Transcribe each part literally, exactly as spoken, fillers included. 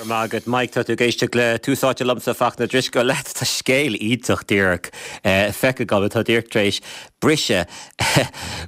Maith agat Mike tá tú ag éisteacht le Tús Áite liomsa Fachtna Drisceoil leat tá scéal iontach díreach feicthe agam atá díreach tar éis briseadh.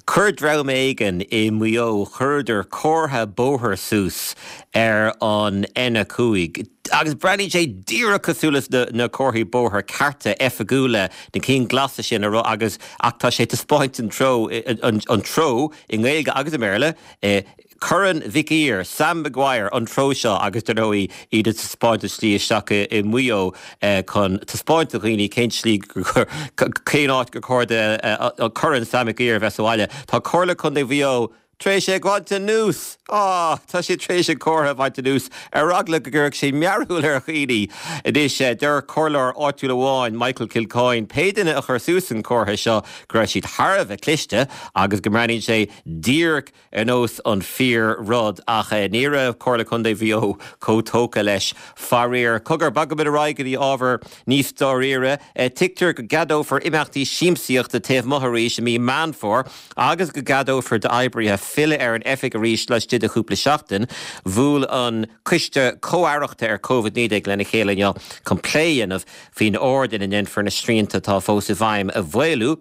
Chuir dream éigin i Maigh Eo chuireadar comhartha bóthair suas ar an N a cúig. Agus breathnaíonn sé díreach cosúil leis na, na comharthaí bóthair cearta oifigiúla na cinn glasa sin a agus ach tá sé taispeáint an treo an, an treo i nGaeilge agus i mBéarla. Eh, Corn Mhic Uidhir, Sam Maguire an treo seo agus dar ndóigh iad ag taispeáint slí isteach i Maigh Eo eh, chun taispeáint do dhaoine cén slí cén áit gur chóir Corn Sam Maguire bheith sa bhaile. Tá Comhairle Contae Mhaigh Eo tar éis é a bhaint anuas Á Tá sé tar éis an comhartha a bhaint anuas ar eagla go gcuirfeadh sé mearbhall ar dhaoine. Anois deir comhairleoir áitiúil amháin Michael Kilcoyne pé duine a chuir suas an comhartha seo go raibh siad thar a bheith cliste agus go mbreathnaíonn sé díreach ar nós an fíor rud ach eh, ní raibh Comhairle Contae Mhaigh Eo chomh tógtha leis faraor. Cogar bogfaimid ar aghaidh go dtí ábhar níos dáiríre, eh, tuigtear go gceadófar imeachtaí siamsaíochta taobh amuigh arís i mí Meán Fómhair agus go gceadófar d'oibrithe filleadh ar an oifig arís laistigh de chúpla seachtain, bhuail an coiste comh-aireachta ar Covid naoi déag lena chéile inniu chun plé a dhéanamh faoin ord ina ndéanfar na srianta atá fós i bhfeidhm a mhaolú.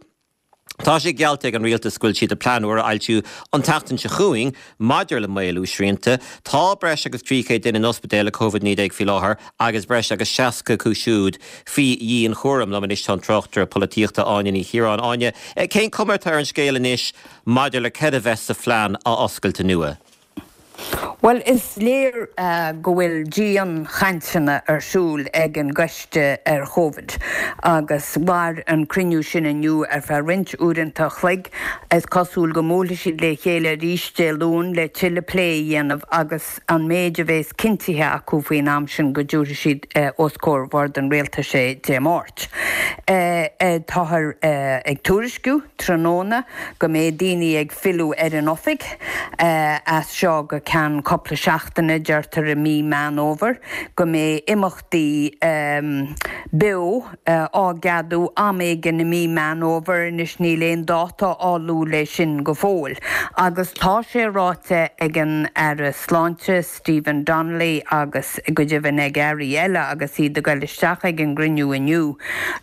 Tá sé geallta ag an rialtas go bhfuil siad ag plean úr a fhoilsiú an tseachtain seo chugainn maidir le maolú srianta. Tá breis agus trí chéad duine in ospidéal le Covid naoi déag faoi láthair agus breis agus seasca acu siúd faoi dhianchúram. Liom anois tá an tráchtaire polaitíochta Áine Ní Chiaráin Áine. Cén chuma atá ar an scéal anois maidir le cad a bheas sa phlean athoscailte nua? Well is léir uh, go bhfuil dianchainteanna ar siúl ag an gcoiste ar Covid agus mhair an cruinniú sin inniu ar feadh roinnt uaireanta an chloig is cosúil go mbuailfidh siad le chéile arís Dé Luain le tuilleadh plé a dhéanamh agus an méid a bheas cinntithe acu faoin am sin go dtabharfaidh siad uh, os comhair bhord an rialtais é Dé Máirt. Uh, uh, Táthar uh, ag tuairisciú tráthnóna go mbeidh daoine ag filleadh ar an oifig uh, as seo go ceann cúpla seachtaine deirtear i mí Meán Fómhair go mbeidh imeachtaí um, beo uh, á gceadú am éigin i mí Meán Fómhair anois níl aon dáta á lua le sin go fóill. Agus tá sé ráite ag an Aire Sláinte Stephen Donnelly agus go deimhin ag airí eile agus iad ag dul isteach ag an gcruinniú inniu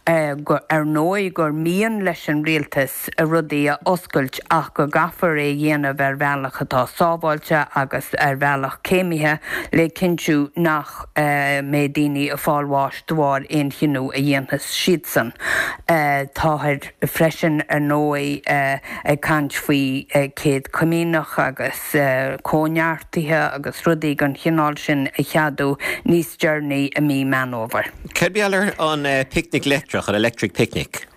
uh, go, ar ndóigh gur mian leis an rialtas a rudaí a oscailt ach go gcaithfear é dhéanamh ar bhealach atá sábháilte agus ar bhealach céimithe le cinntiú nach uh, mbeidh daoine ag fáil bháis de bharr aon chinneadh a dhéanfas siadsan. Uh, Táthar freisin ar ndóigh uh, ag caint faoi uh, céad comaoineach agus uh, cóineartaithe agus rudaí den chineál sin a cheadú níos deireanaí i mí Meán Fómhair. Cad ar an uh, picnic leictreach an electric picnic?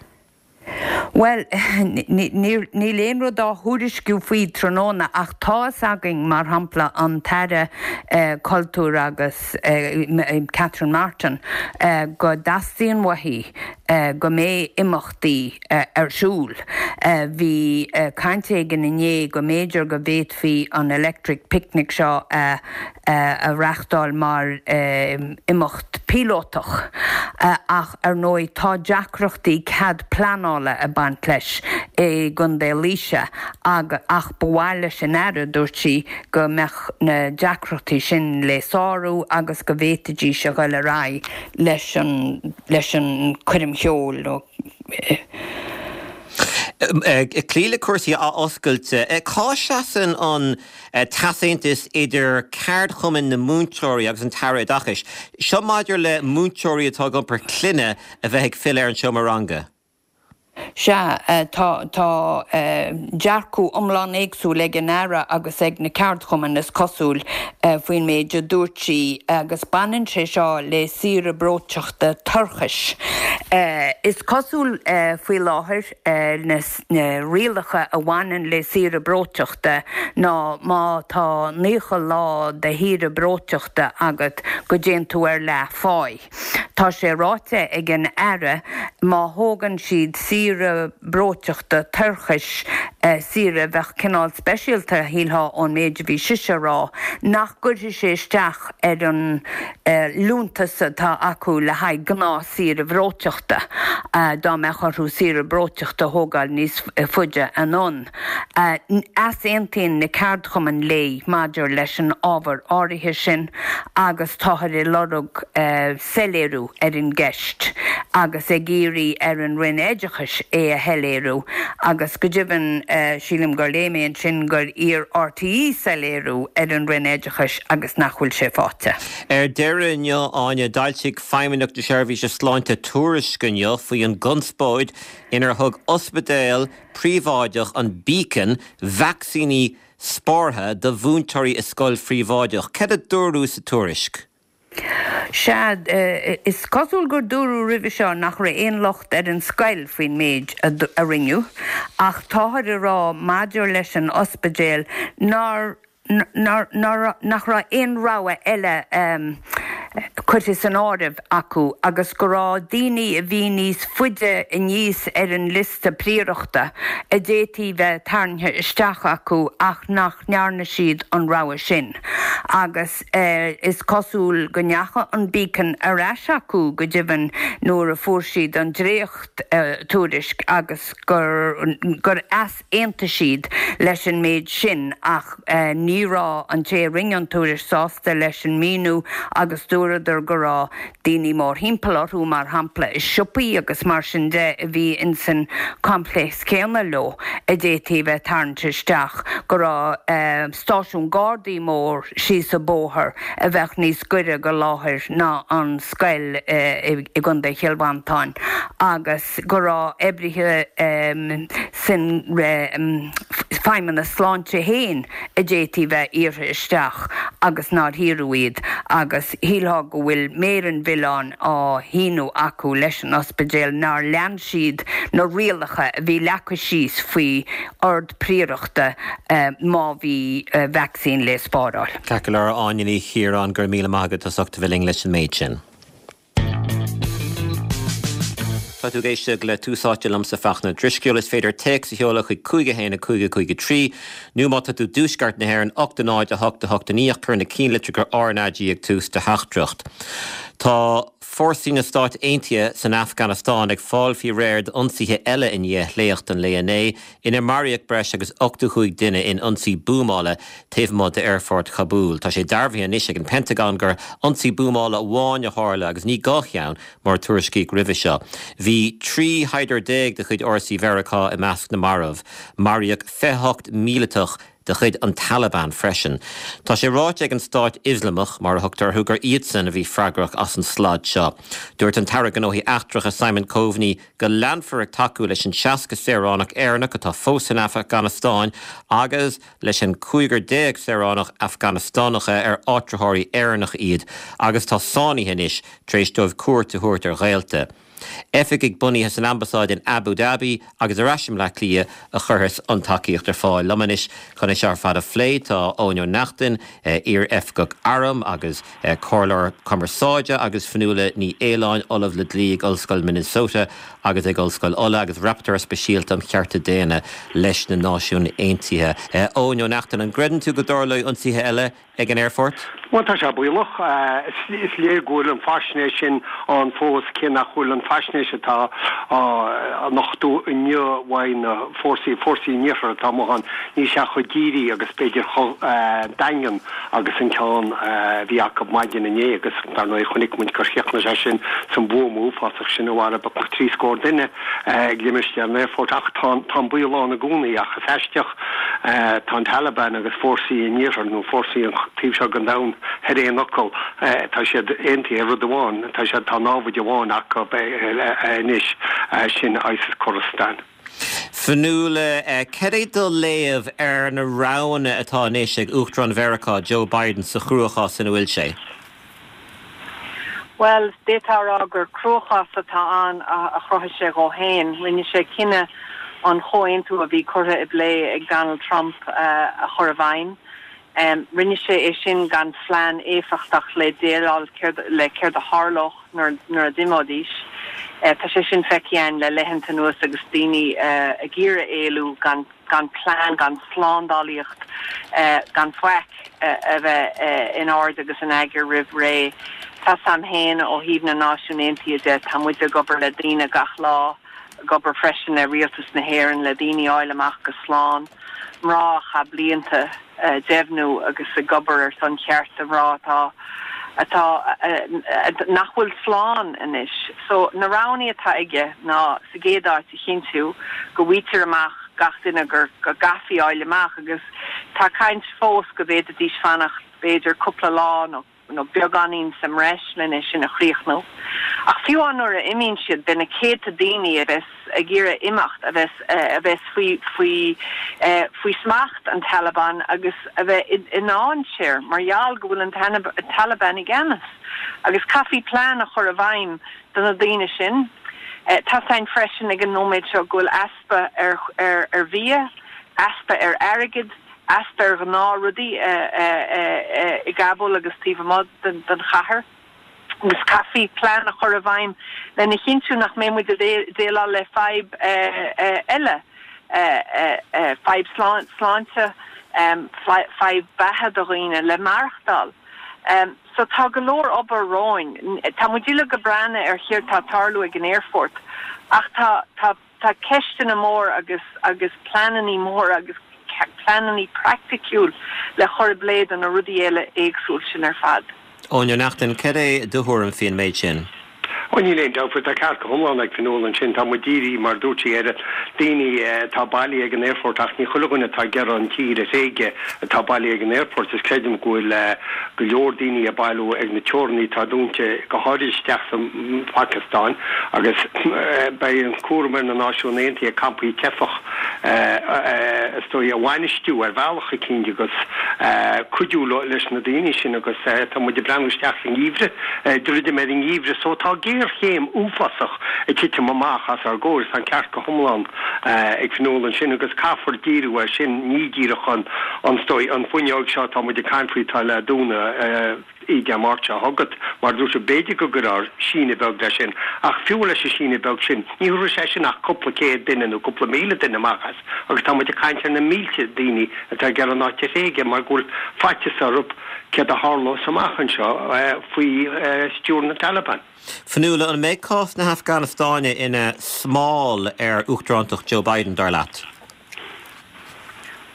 Well níl aon rud á thuairisciú faoi tráthnóna ach tá a fhios againn mar shampla an tAire uh, cultúr agus uh, Catherine Martin uh, go dteastaíonn uaithi uh, go mbeidh imeachtaí uh, ar siúl. Uh, Bhí uh, caint éigin inné go mb'fhéidir go bhféadfaí an electric picnic seo uh, uh, a reáchtáil mar uh, imeacht píolótach uh, ach ar ndóigh tá deacrachtaí cead pleanála ag baint leis i gContae Laoise ag ach ba mhaith leis an Aire dúirt sí go mbeadh na deacrachtaí sin le sárú agus go bhféadfaidís a dhul ar aghaidh leis an leis an choirm cheoil nó Clí le cúrsaí athoscailte. Cá seasann an t-easaontas idir ceardchumann na múinteoirí agus an tAire Oideachais. Seo maidir le múinteoirí atá ag iompar clainne a bheith ag filleadh ar an seomra ranga. Sea tá tá dearcadh iomlán éagsúil ag an Aire agus ag na ceardchumainn is cosúil faoin méid a dúirt sí agus baineann sé seo le saoire breoiteachta toirchis. Is cosúil faoi láthair na rialacha a bhaineann le saoire breoiteachta ná má tá naocha lá de shaoire breoiteachta agat go dtéann tú ar leathphá. Tá sé ráite ag an Aire má thógann siad saoire saoire breoiteachta toirchis, saoire a bheadh cineál speisialta, shílfeá ón méid a bhí sise a rá, nach gcuirfidh sé isteach ar an liúntas atá acu le haghaidh gnáth-saoire bhreoiteachta, dá mbeadh orthu saoire breoiteachta a thógáil níos faide anonn. Easaontaíonn na ceardchumainn léi maidir leis an ábhar áirithe sin agus táthar ag lorg soiléiriú ar an gceist agus ag iarraidh ar an Roinn Oideachais é a shoiléiriú agus go deimhin sílim gur léigh mé ansin gur iarr RTÉ soiléiriú ar an Roinn Oideachais agus nach bhfuil sé faighte. Ar deireadh inniu, Áine, d'fhoilsigh Feidhmeannacht na Seirbhíse Sláinte tuairisc inniu faoi an gconspóid inar thug ospidéal príobháideach an Beacon vacsaíní spártha do mhúinteoirí i scoil phríobháideach. Céard a dúradh sa tuairisc? Sea, is cosúil gur dúradh roimhe seo nach raibh aon locht ar an scoil faoin méid a rinneadh, ach táthar ag rá maidir leis an ospidéal nár nach raibh aon rogha eile curtha san áireamh acu agus go raibh daoine a bhí níos faide aníos ar an liosta príorachta a d'fhéadfaí bheith tarraingthe isteach acu ach nach ndearna siad an rogha sin. Agus is cosúil go ndeachaigh an Beacon ar ais acu go deimhin nuair a fuair siad an dréacht-tuairisc agus gur gur easaontaigh siad leis an méid sin ach ní raibh an té a rinne an tuairisc sásta leis an míniú agus dúradar go raibh daoine mórthimpeall orthu, mar shampla i siopaí agus mar sin de a bhí insan choimpléasc céanna leo a d'fhéadfaí bheith tarraingthe isteach, go raibh stáisiún Gardaí mór síos an bóthar a bheadh níos gaire go láthair ná an scoil i gContae Chill Mhantáin agus go raibh oibrithe san Feidhmeannas Sláinte féin a d'fhéadfaí bheith iarrtha isteach agus nár hiarradh iad agus shílfeá go bhfuil méar an mhilleáin á shíneadh acu leis an ospidéal nár lean siad na rialacha a bhí leagtha síos faoi ord príorachta má bhí vacsaín le spáráil. Ceart go leor, Áine Ní Chiaráin, go raibh míle maith agat as ucht a bheith linn leis an méid sin. Tá tú ag éisteacht le Tús Áite liomsa Fachtna Drisceoil. Is féidir téacs a sheoladh chuig cúig a haon a cúig a cúig a trí nó má tá tú i dtuaisceart na hÉireann ocht a náid a hocht a hocht a naoi ach cuir na cinnlitreacha RnaG ag tús do theachtaireacht. Tá fórsaí na Stát Aontaithe san Afganastáin ag fáil faoi réir d'ionsaithe eile i ndiaidh shléacht an lae inné, inar maraíodh breis agus ochtó cúig duine in ionsaí buamála taobh amuigh d'aerfort Chabúl. Tá sé dearbhaithe anois ag an Pentagon gur ionsaí buamála amháin a tharla agus ní dhá cheann mar a tuairiscíodh roimhe seo. Bhí trí shaighdiúir déag de chuid fhórsaí Mheiriceá i measc na marbh. Maraíodh fiche hocht míleatach de chuid an Taliban freisin. Tá sé ráite ag an Stát Ioslamach, mar a thugtar orthu, gur iadsan a bhí freagrach as an slad seo. Dúirt an tAire Gnóthaí Eachtracha Simon Coveney go leanfar ag tacú leis an seasca saoránach Éireannach atá fós san Afganastáin agus leis an cúigear déag saoránach Afganastánacha ar áitritheoirí Éireannacha iad agus atá sáinnithe anois tar éis dóibh cuairt a thabhairt ar ghaolta. Oifigigh bunaithe san Ambasáid in Abu Dhabi agus ar ais i mBleá Cliath a chuirfeas an tacaíocht ar fáil. Liom anois chun é seo ar fad a phlé tá Eoin Ó Neachtain, iar-oifigeach airm agus comhairleoir cumarsáide agus Fionnuala Ní Aoláin, Ollamh le Dlí ag Ollscoil Minnesota agus ag Ollscoil Uladh agus Rapporteur Speisialta um Chearta Daonna leis na Náisiúin Aontaithe. Eoin Ó Neachtain, an gcreideann tú go dtarlóidh ionsaithe eile ag an aerfort? Bhuel, tá sé baolach. Is léir go bhfuil an faisnéis sin ann fós, cé nach bhfuil an faisnéis atá á nochtadh inniu uaidh na fórsaí, fórsaí an Iarthair atá amuigh ann, níl sé chomh dírí agus b'fhéidir chomh daingean agus an ceann a bhí acu maidin inné agus dar ndóigh chonaic muid gur chríochnaigh sé sin san bhuama uafásach sin a mharaigh trí scór duine ag limistéar an aerfoirt. Ach tá an baol ann i gcónaí ach is aisteach, tá an Taliban agus fórsaí an Iarthair nó fórsaí an taobh seo den domhan ar aon fhocal. Tá siad aontaithe ar rud amháin, tá siad, tá námhaid amháin acu anois, sin ISIS Khorasan. Fionnuala, cad é do léamh ar na roghanna atá anois ag Uachtarán Mheiriceá, Joe Biden, sa chruachás ina bhfuil sé? Bhuel, d'fhéadfá a rá gur cruachás atá ann a chruthaigh sé dhó féin. Rinne sé cinneadh an chomhaontú a bhí curtha i bplé ag Donald Trump a chur i bhfeidhm. Rinne sé é sin gan phlean éifeachtach le déileáil le céard a tharlódh nuair a d'imeoidís. Tá sé sin feicthe againn le laethanta anuas agus daoine ag iarraidh éalú gan gan plean, gan slándálaíocht, gan faic a bheith in ord agus in eagar roimh ré. Tá a fhios agam féin ó thaobh na Náisiún Aontaithe de, tá muid ag obair le daoine gach lá, ag obair freisin le rialtas na hÉireann le daoine a fháil amach go slán, mná a chaith blianta ag deimhniú agus ag obair ar son chearta mná atá atá nach bhfuil slán anois. So na roghanna atá aige ná sa gcéad áit a chinntiú go bhfaightear amach gach duine gur go gcaithfí fháil amach agus tá caint fós go bhféadfaidís fanacht b'fhéidir cúpla lá nó nó beagáinín sa mbreis lena sin a chríochnú. Ach fiú nuair a imíonn siad beidh na céadta daoine a bheas ag iarraidh imeacht a bheas a bheas faoi faoi faoi smacht an Taliban agus a bheith i ndainséar mar gheall go bhfuil an Taliban i gceannas. Agus caithfí plean a chur i bhfeidhm do na daoine sin. Tá a fhios againn freisin ag an nóiméad seo go bhfuil easpa ar ar ar bhia, easpa ar airgead, easpa ar ghnáthrudaí i gCabúl agus taobh amuigh den chathair. Agus caithfí plean a chur i bhfeidhm lena chinntiú nach mbeidh muid ag déileáil le fadhb eile, fadhb sláinte, fadhb beatha do dhaoine le maireachtáil. So tá go leor obair romhainn. Tá muid uilig ag breathnú ar céard tá ag tarlú ag an aerfort ach tá tá tá ceisteanna mór agus agus pleananna mór agus pleananna praiticiúil le chur i bplé do na rudaí eile éagsúil sin ar fad. Eoin Ó Neachtain, cad é do thuairim faoin méid sin? Ó níl aon dabht faoi, tá ceart go hiomlán ag Fionnuala ansin, tá muid dírithe mar dúirt sí ar daoine atá bailithe ag an aerfort ach ní chuile dhuine atá ag iarraidh an tír a thréigean atá bailithe ag an aerfort is creidim go bhfuil go leor daoine ag bailiú ag na teorannaí atá dúnta go háirid isteach sa Phacastáin agus beidh an cúram ar na Náisiúin Aontaithe campaí teifeach is dóigh a bhainistiú ar bhealach eicínt agus cuidiú leis na daoine sin agus tá muid ag breathnú isteach sa ngeimhreadh, druidim ar an ngeimhreadh so tá géarchéim uafásach ag titim amach os ár gcomhair, tá an ceart go hiomlán ag Fionnuala ansin agus caithfear díriú air sin, ní díreach an an dóigh an fuinneog seo atá muid ag caint faoi atá le dúnadh Dé Máirt seo chugainn, mar dúirt sé b'fhéidir go gcuirfear síneadh beag leis sin ach fiú leis an síneadh beag sin ní thabharfaidh sé sin ach cúpla céad duine nó cúpla míle duine amach as agus tá muid ag caint ar na mílte daoine atá ag iarraidh an áit a thréigean mar go bhfuil faitíos orthu céard a tharlós amach anseo faoi stiúir na Taliban. Fionnuala, an mbeidh cás na hAfganastáine ina smál ar uachtarántacht Joe Biden, dar leat?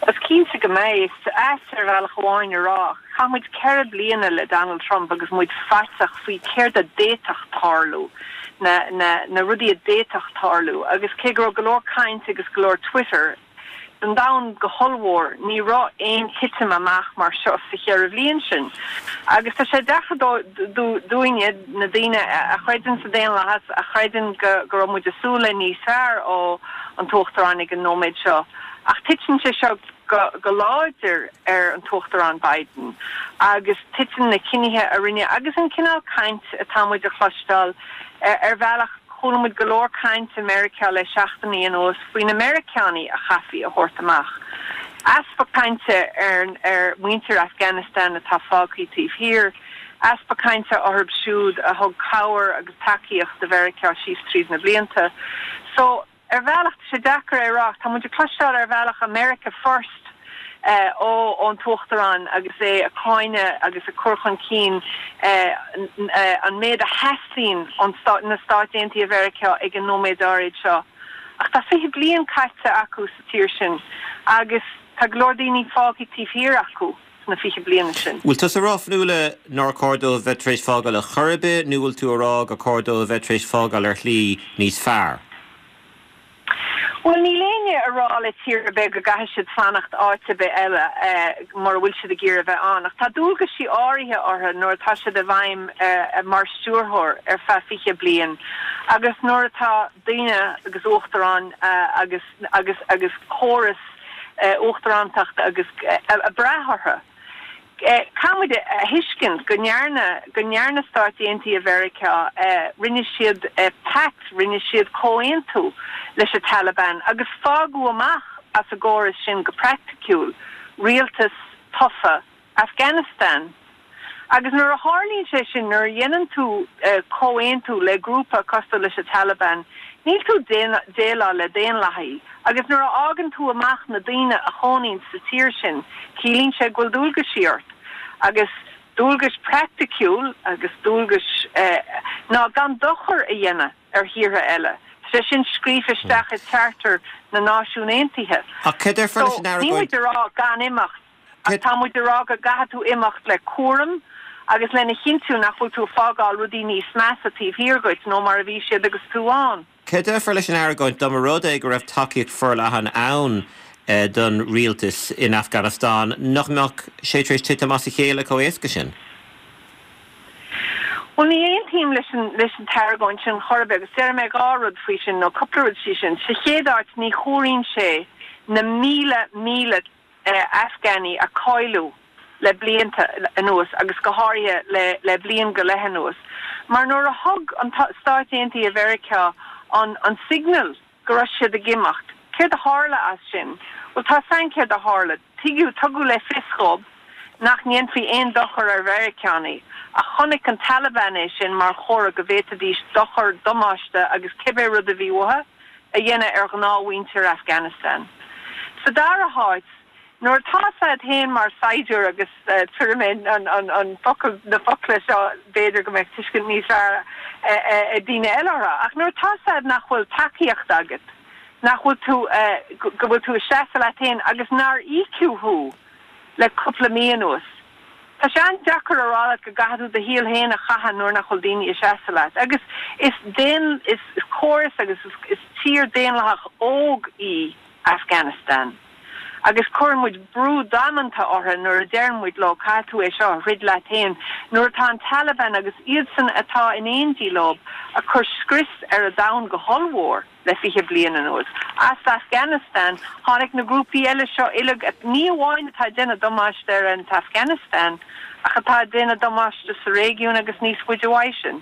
Is cinnte go mbeidh. Is ait ar bhealach amháin a rá, chaith muid ceithre bliana le Donald Trump agus muid faiteach faoi céard a d'fhéadfadh tarlú, na, na, na rudaí a d'fhéadfadh tarlú agus cé go raibh go leor caint agus go leor Twitter den domhan go hollmhór, ní raibh aon titim amach mar seo sa cheithre bhliain sin. Agus tá sé deacair dúinne, na daoine a chreideann sa daonlathas, a chreideann go go raibh muid ag súil le níos fearr ó an tUachtarán ag an nóiméad seo. Ach titeann sé seo go go láidir ar an tUachtarán Biden agus titeann na cinnithe a rinne agus an cineál caint atá muid a chloisteáil ar bhealach Chuala muid go leor caint i Meiriceá le seachtainí anuas faoi na Meiriceánaigh a chaithfí a thabhairt amach. Easpa cainte ar ar mhuintir Afghanistan atá fágtha taobh thiar, easpa cainte orthu siúd a thug cabhair agus tacaíocht do Mheiriceá síos tríd na blianta. So, ar bhealach, tá sé deacair a rá, tá muid ag cloisteáil ar bhealach America First ó ón tUachtarán agus é ag cáineadh agus ag cur chun cinn an méid a theastaíonn ó na Stáit Aontaithe Mheiriceá ag an nóiméad áirid seo. Ach tá fiche bliain caite acu sa tír sin agus tá go leor daoine fágtha taobh thiar acu sna fiche bliana sin. Bhfuil tusa ag rá, Fionnuala, nár chóir dóibh bheith tar éis fágáil ar chor ar bith nó bhfuil tú ag rá gur chóir dóibh bheith tar éis fágáil ar shlí níos fearr? Bhuel, níl éinne ag rá le tír ar bith go gcaithfidh siad fanacht áit ar bith eile mura bhfuil siad ag iarraidh a bheith ann, ach tá dualgaisí áirithe orthu nuair atá siad i bhfeidhm mar stiúrthóir ar feadh fiche bliain agus nuair atá daoine agus uachtaráin agus agus agus córas uachtarántachta agus ag brath orthu. Caithfidh muid a thuiscint go ndearna, go ndearna Stáit Aontaithe Mheiriceá, rinne siad pact, rinne siad comhaontú leis an Taliban agus fágadh amach as an gcóras sin go praiticiúil rialtas tofa Afghanistan. Agus nuair a tharlaíonn sé sin nuair a dhéanann tú uh, comhaontú le grúpa cosúil leis an Taliban, níl tú déileáil le daonlathaí. Agus nuair a fhágann tú amach na daoine a chónaíonn sa tír sin, ciallaíonn sé go bhfuil dualgas ort. Agus dualgas praiticiúil agus dualgas eh, ná gan dochar a dhéanamh ar thíortha eile. Sé sin scríofa isteach i Charter na Náisiún Aontaithe. So, rá gan imeacht tá muid ag rá go gcaithfidh tú imeacht le cúram agus lena chinntiú nach bhfuil tú fágáil rudaí níos measa taobh thiar díot ná mar a bhí siad agus tú ann. Cé déarfá leis an argóint dá mba rud é go raibh tacaíocht forleathan ann eh, don rialtas in Afghanistan nach mbeadh sé tar éis titim as a chéile chomh héasca sin? Well ní aontaím leis an leis an argóint sin chorbe agus deir mé dhá rud faoi sin nó cúpla rud faoi sin. Sa chéad áit ní chóiríonn sé na míle míle uh, Afghanaigh a cailleadh le blianta anuas agus go háirithe le, le bliain go leith anuas. Mar nuair a thug an Stáit Aontaithe Mheiriceá an, an signal go raibh siad ag imeacht. Céard a tharla as sin, Well tá san céard a tharla, tuigeadh tugadh le fios dóibh nach ndéanfaí aon dochar ar Mheiriceánaigh, a chonaic an Taliban é sin mar chomhartha go bhféadfaidís dochar damáiste agus cibé rud a bhí uathu a dhéanamh ar ghnáthmhuintir Afghanistan. Sa dara háit, Nuair tá siad féin mar saighdiúir agus uh, tuair an, an, an focal na focla seo b'fhéidir go mbeidh tuiscint níos fearr uh, uh, daoine eile ach nuair tá siad nach bhfuil tacaíocht agat nach bhfuil tú uh, go bhfuil tú seasamh leat féin agus nár íocadh thú le cúpla mí anuas. Tá sé an-deacair a rá go gcaithfidh tú do shaol féin a chaitheamh nuair nach bhfuil daoine ag seasamh leat. Agus is den is, is córas agus is, is tír daonlathach óg í Afghanistan. Agus cuireann muid brú damanta orthu nuair a deireann muid leo caithfidh tú é seo throid leat féin nuair atá an Taliban agus iadsan atá in éindí leo ag cur scrios ar an domhan go hollmhór le fiche bliain anuas. As Afghanistan tháinig na grúpaí eile seo uilig ní amháin atá déanamh damáiste ar an Afghanistan ach atá déanamh damáiste sa réigiún agus níos faide uaidh sin.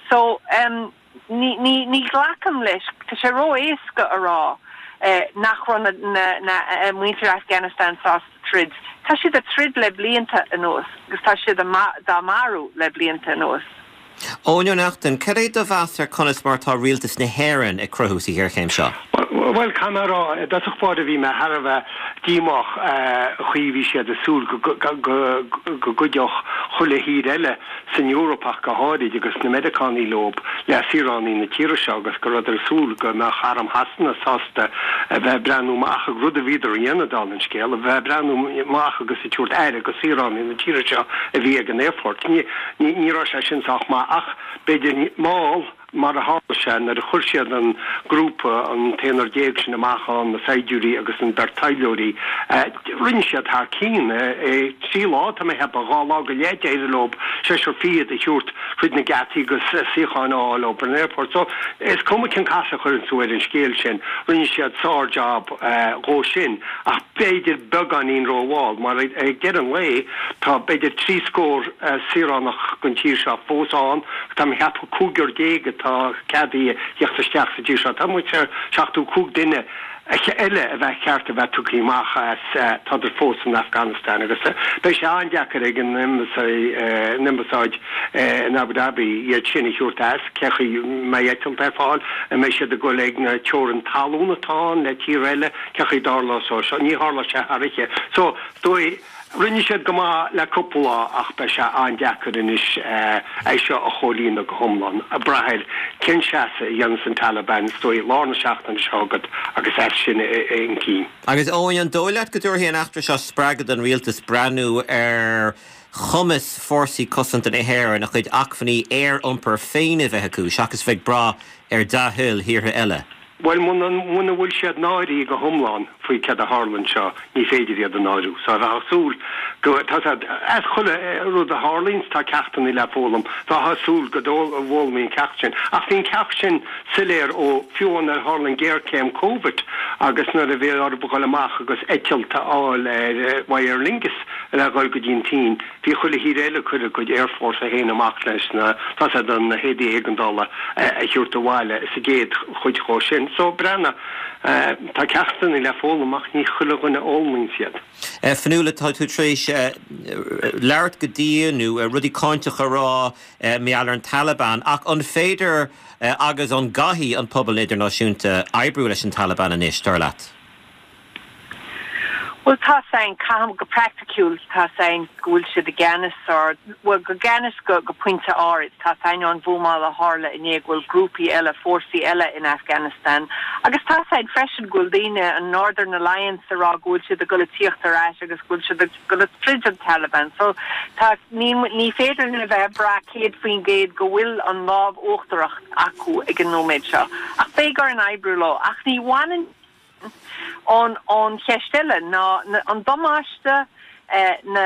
So um, ní, ní, ní ghlacaim leis tá sé ró-éasca a rá. Eh, nach raibh na, na, na muintir Afghanistan sásta troid. Tá siad ag troid le blianta anuas, agus tá siad dá marú le blianta anuas. Eoin Ó Neachtain, cad é do mheas ar conas mar tá rialtas na hÉireann ag cruthú sa ghéarchéim seo. Well camrá dat fád a bhí me Har bheith díomách chaoi bhí siad ag súil go gcuideodh chuile thír eile san Eoraip ach go háirid agus na Meiriceánaigh leo le saoránaigh na tíre seo agus go rabhadar ag súil go mbeadh arm Shasana sásta a bheith breathnú amach ag rud a bhíodar a dhéanamh an scéal a bheith breathnú amach agus ag tabhairt aire do shaoránaigh na tíre seo a bhí ag an aerfort. Ní raibh sé sin sách maith ach b'fhéidir mall mar a tharla sé nuair a chuir siad an grúpa an t-aonar déag sin amach an na saighdiúirí agus an bheirt taidhleoirí rinne siad thar cinn trí lá tá mé cheapadh dhá lá go leith d'éirigh leo seisear fichead a thabhairt tríd na geataí agus suíocháin a fháil ó an airport. So is cuma cén casadh a chuireann tú ar an scéal sin, rinne siad sár-job dhó sin ach b'fhéidir beagáinín rómhall, mar ag deireadh an lae tá b'fhéidir trí scór saoránach den tír seo fós ann, tá mé cheapadh cúigear déag atá ceadaithe theacht isteach sa tír seo. Tá muid ar seachtó cúig duine eile a bheith ceart a bheith tugtha amach as tádar fós in Afghanistan agus beidh sé an-deacair ag an ambasáid in Abu Dhabi iad sin a thabhairt as cé chaoi mbeidh eitilt ar fáil a mbeidh siad ag dul ag na teorainn talún atá le tír eile cé chaoi a dtarlóidh seo ní tharla sé thar oíche. So dóigh Rinne siad go maith le cúpla lá ach beidh sé an-deacair anois é seo a chomhlíonadh go hiomlán. Ag brath ar cén seasamh a dhéanann an Taliban is dóigh lár na seachtaine seo agat agus as sin chun cinn. Agus Eoin an dóigh leat go dtabharfaidh an eachtra seo spreagadh don rialtas breathnú ar chumas fórsaí cosanta na hÉireann a chuid acmhainní aer-iompair féin a bheith acu seachas bheith ag brath ar dea-thoil thíortha eile. Well muna bhfuil siad náirithe go hiomlán faoi céard a tharla anseo ní féidir iad a náiriú. So bheifeá ag súil go as chuile rud a tharlaíonn tá ceachtanna le foghlaim, Bheifeá ag súil go bhfoghlaimeofaí an ceacht sin. Ach bhí an ceacht sin soiléir ó fiú nuair a tharla an ghéarchéim Covid agus nuair a bhí orthu dul amach agus eitilt a fháil ar Aer Lingus le dhul go dtí an tSín. Bhí chuile thír eile ag cur a gcuid aerfhórsa féin amach leis na tá an na héadaí éigeandála a thabhairt abhaile sa gcéad chuid dhó sin. sin. So, breathnaigh, tá ceachtanna le foghlaim ach ní chuile dhuine a fhoghlaimíonn siad. Fionnuala, tá tú tar éis labhairt go dian nó rudaí cáinteacha a rá mar gheall ar an Taliban, ach an féidir agus an gcaithfidh an pobal idirnáisiúnta oibriú leis an Taliban anois, dar leat? Bhuel tá a fhios againn, caithfidh go praiticiúil, tá a fhios againn go bhfuil siad i gceannas or bhuel go gceannas go go pointe áirid. Tá a fhios againn ón bhuamáil a tharla inné go bhfuil grúpaí eile, fórsaí eile in Afghanistan. Agus tá a fhios againn freisin go bhfuil daoine, an Northern Alliance a rá go bhfuil siad ag dul a tíocht ar ais agus go bhfuil siad ag dul a troid an Taliban. So tá ní ní féidir linn a bheith ag brath céad faoin gcéad go bhfuil an lámh uachtarach acu ag an nóiméad seo. Ach beidh orainn oibriú leo. Ach ní bhaineann Ón ón cheist eile ná an damáiste, na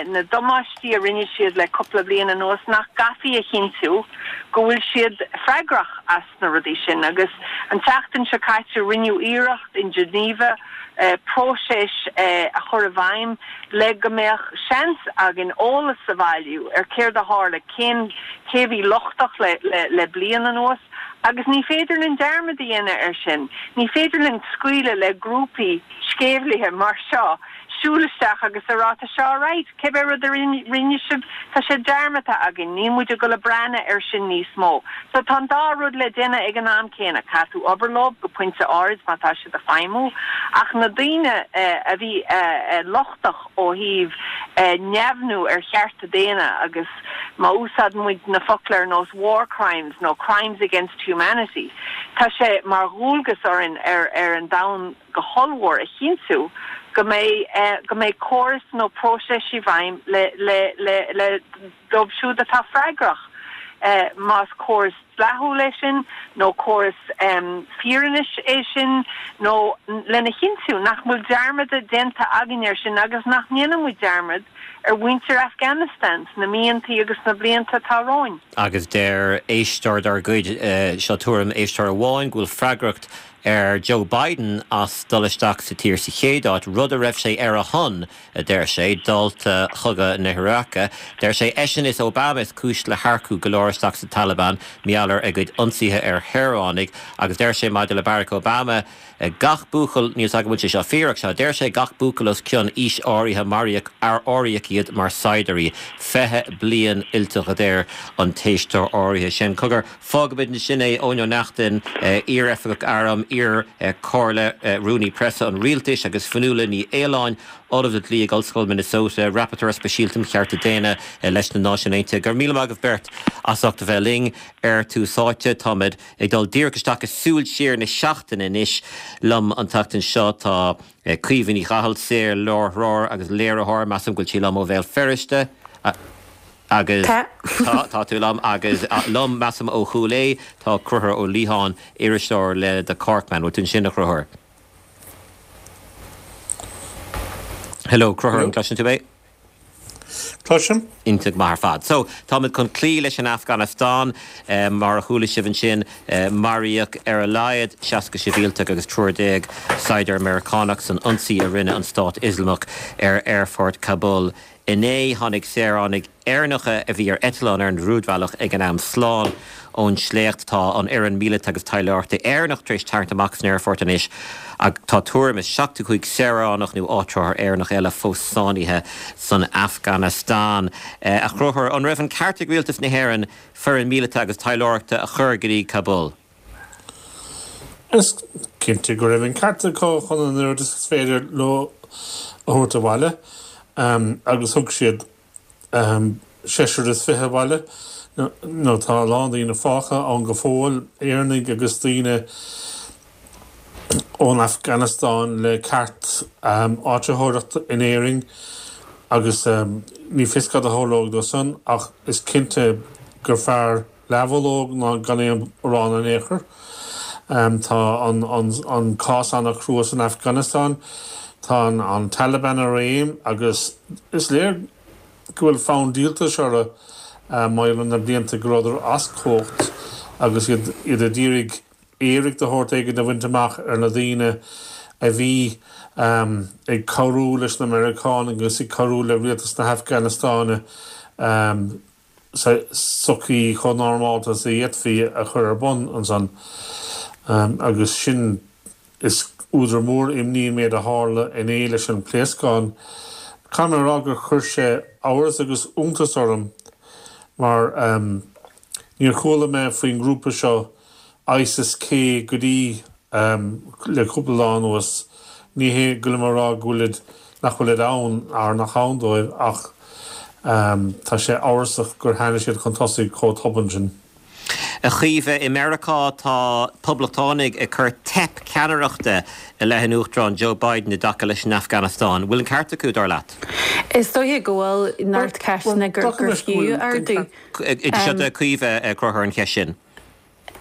na damáistí a rinne siad le cúpla bliain anuas, nach gcaithfí a chinntiú go bhfuil siad freagrach as na rudaí sin. Agus an tseachtain seo caite rinneadh iarracht in Geneva próiseas a chur i bhfeidhm le go mbeadh seans againn eolas a bhailiú ar céard a tharla, cén cé a bhí lochtach le le le bliain anuas. Agus ní féidir linn dearmad a dhéanamh air sin. Ní féidir linn scaoileadh le grúpaí sceimhlithe mar seo siúl isteach agus a rá tá sé alright, cibé rud a rinne sibh, tá sé dearmadta againn, níl muid ag dul a breathnú air sin níos mó. So tá an dá rud le déanamh ag an am céanna, caithfidh tú obair leo go pointe áirid má tá siad ag feidhmiú, ach na daoine a bhí lochtach ó thaobh neamhniú ar chearta daonna agus má úsáideann muid na focla ar nós war crimes nó crimes against humanity, tá sé mar dhualgas orainn ar ar an domhan go hollmhór a chinntiú go mbeidh go mbeidh córas nó próiseas i bhfeidhm le le le le dóibh siúd atá freagrach, más córas dleathúil é sin nó córas fírinnis é sin nó lena chinntiú nach bhfuil dearmad déanta againn air sin agus nach ndéanann muid dearmad ar mhuintir Afghanistan sna míontaí agus sna blianta atá romhainn. Agus deir éisteoir dár gcuid, seo tuairim éisteora amháin, go bhfuil freagracht ar Joe Biden as dul isteach sa tír sa chéad áit, rud a raibh sé ar a shon, a deir sé, dálta chogadh na hIaráice. Deir sé eisean is Obama is cúis le hearcú go leor isteach sa Taliban, mar gheall ar a gcuid ionsaithe ar shaoránaigh agus deir sé maidir le Barack Obama, gach buachaill, níl 's agam an bhfuil sé seo fíor ach seo, deir sé gach buachaill os cionn aois áirithe maraíodh, áiríodh iad mar saighdiúirí. Fiche bliain fhuilteach a deir an t-éisteoir áirithe sin. Cogar, fágfaimid ansin é, Eoin Ó Neachtain, iar-oifigeach airm, iar-chomhairle, rúnaí preasa an rialtais agus Fionnuala Ní Aoláin, Ollamh le Dlí ag Ollscoil Minnesota, Rapporteur Speisialta um Chearta Daonna leis na Náisiúin Aontaithe. Go raibh míle maith agaibh beirt as ucht a bheith linn ar Tús Áite. Táimid ag dul díreach isteach i Súil Siar na seachtaine anois. Liom an tseachtain seo tá Caoimhe Ní Chathail, saor-láithreoir agus léiritheoir, measaim go bhfuil sí liom ó Bhéal Feirste. Agus tá, tá tú liom agus liom, measaim ó Chúil Aodha, tá Conchúr Ó Liatháin, iriseoir le The Corkman. Bhfuil tú ansin, a Chonchúir? Hello, Conchúr, an gcloiseann tú mé? Cloisim. Iontach maith ar fad. So, táimid chun cloí leis an Afganastáin. Mar a chuala sibh ansin, maraíodh ar a laghad seasca sibhialtach agus triúr déag saighdiúir Meiriceánach san ionsaí a rinne an Stát Ioslamach ar aerfort Kabul inné. Tháinig saoránaigh Éireannacha a bhí ar eitleán ar an rúidbhealach ag an am slán ón sléacht. Tá an fhoireann míleata agus taidhleoireachta Éireannach tar éis tarraingt amach as an aerfort anois ach tá tuairim is seachtó cúig saoránach nó áitritheoir Éireannach eile fós sáinnithe san Afganastáin. A Chonchúir, an raibh an ceart ag rialtas na hÉireann foireann míleata agus taidhleoireachta a chur go dtí Kabul? Is cinnte go raibh an ceart acu chun an oiread is féidir leo a thabhairt abhaile agus thug siad seisear is fiche abhaile nó tá a lán daoine fágtha ann go fóill, Éireannaigh agus daoine ón Afganastáin le ceart áitritheoireachta in Éirinn agus ní fios cad a tharlóidh dó san ach is cinnte gur fearr leathbhulóg ná gan aon arán in aon chor. Tá an cás an-chrua san Afganastáin. Tá an Taliban i réim agus is léir go bhfuil fonn díoltais orthu maidir le na blianta go rabhadar as cumhacht agus iad iad ag iarraidh éiric de shórt éigin a bhaint amach ar na daoine a bhí ag cabhrú leis na Meiriceánaigh agus ag cabhrú le rialtas na hAfganastáine sochaí chomh normálta is a d'fhéadfaí a chur ar bun ansan. Agus sin, is údar mór imní an méid a tharla inné leis an pléascán. Caithfidh mé a rá gur chuir sé amhras agus iontas orm mar níor chuala mé faoin ngrúpa seo ISIS-K go dtí le cúpla lá anuas. Ní hé go bhfuilim a rá go bhfuilid, nach bhfuilid ann ar nach ann dóibh ach tá sé amhrasach gur tháinig siad chun tosaigh chomh tobann sin. A Chaoimhe, i Meiriceá tá poblachtánaigh ag cur teip ceannaireachta i leith an Uachtaráin Joe Biden i dtaca leis an Afganastáin. Bhfuil an ceart acu, dar leat? Is dóiche go bhfuil neart ceisteanna gur fiú a ardú. Seo do Chaoimhe, a Chonchúir, an cheist sin.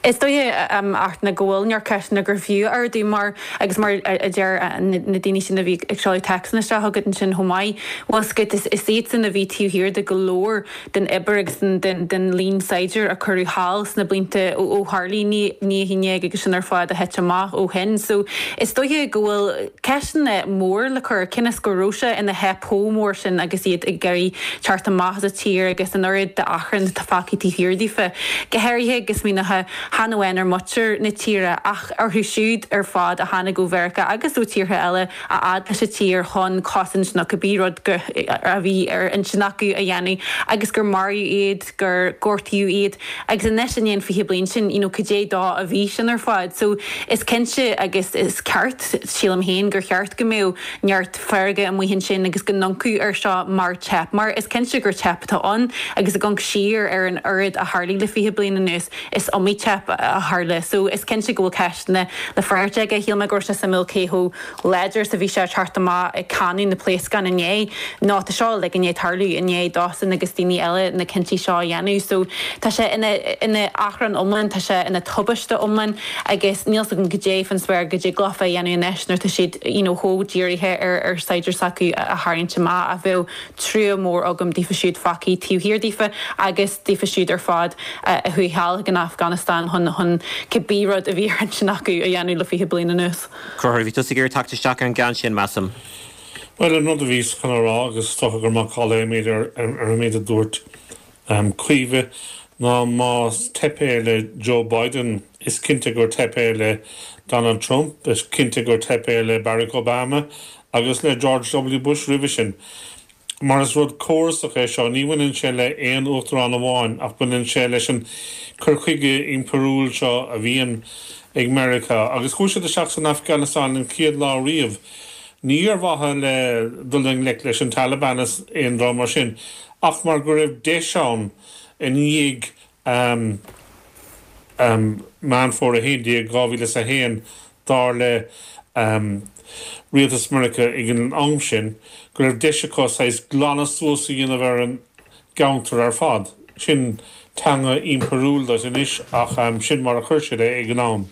Is dóiche, Artna, go bhfuil neart ceisteanna gur fiú a ardú mar, agus mar a deir na daoine sin a bhí ag seoladh téacsanna isteach chugat ansin chomh maith, bhfuil 's agat, is iadsan a bhí taobh thiar de go leor den obair agus den líon saighdiúir a cuireadh thall sna blianta ó tharlaigh naoi a haon déag agus sin ar fad a thit amach ó shin. So is dóiche go bhfuil ceisteanna mór le cur, cionn is go raibh sé ina theip chomh mór sin agus iad ag iarraidh teacht amach as an tír agus an oiread d'achrann atá fágtha taobh thiar daofa, go háirithe agus smaoineofá chan amháin ar mhuintir na tíre ach orthu siúd ar fad a tháinig ó Mheiriceá agus ó tíortha eile a fhad leis an tír chun cosaint nó cibé rud a bhí ar intinn acu a dhéanamh agus gur maraíodh iad, gur gortaíodh iad agus anois i ndiaidh an fiche bliain sin, you know, cad é dó a bhí sin ar fad. So is cinnte agus is ceart, sílim féin, gur cheart go mbeadh neart feirge amuigh ansin agus go n-amharcfaí air seo mar teip, mar is cinnte gur teip atá ann agus ag amharc siar ar an oiread a tharlaigh le fiche bliain anuas, is iomaí teip a tharla. So is cinnte go bhfuil ceisteanna le freagairt aige. Shíl mé go raibh sé suimiúil cé chomh láidir is a bhí sé ag teacht amach ag cáineadh na pléascán inné. Nó tá seo uilig i ndiaidh tarlú i ndiaidh dósan agus daoine eile na cinntí seo a dhéanamh. So tá sé ina ina achrann iomlán, tá sé ina tubaiste iomlán agus níl 's agam goidé fán spéir go dtig leofa a dhéanamh anois nuair atá siad you know chomh dírithe ar ar saighdiúir s'acu a tharraingt amach ach bheadh trua mór agam daofa siúd fágtha taobh thiar daofa agus daofa siúd ar fad a chuaigh thall chuig an Afganastáin chun chun cibé rud a bhí ar intinn acu a dhéanamh le fiche bliain anuas. Conchúr, bhí tusa ag iarraidh teacht isteach ar an gceann sin, measaim. Bhuel, an rud a bhíos chun a rá, agus is dócha gur macalla é an méid ar an méid a dúirt Caoimhe, ná más teip é le Joe Biden, is cinnte gur teip é le Donald Trump, is cinnte gur teip é le Barack Obama agus le George W Bush roimhe sin. Mar is rud córasach é seo, ní bhaineann sé le aon uachtarán amháin ach baineann sé leis an cur chuige impiriúil seo a bhíonn ag Meiriceá. Agus chuaigh siad isteach san Afganastáin an chéad lá riamh, ní ar mhaithe le dul i ngleic leis an Taliban is aon dream mar sin, ach mar go raibh deis ann i ndiaidh Meán Fómhair a haon déag, dhá mhíle is a haon, dar le rialtas Mheiriceá ag an am sin, go raibh deis acu saghas glanadh suas a dhéanamh ar an gceantar ar fad. Sin teanga impiriúil duit anois ach sin mar a chuir siad é ag an am.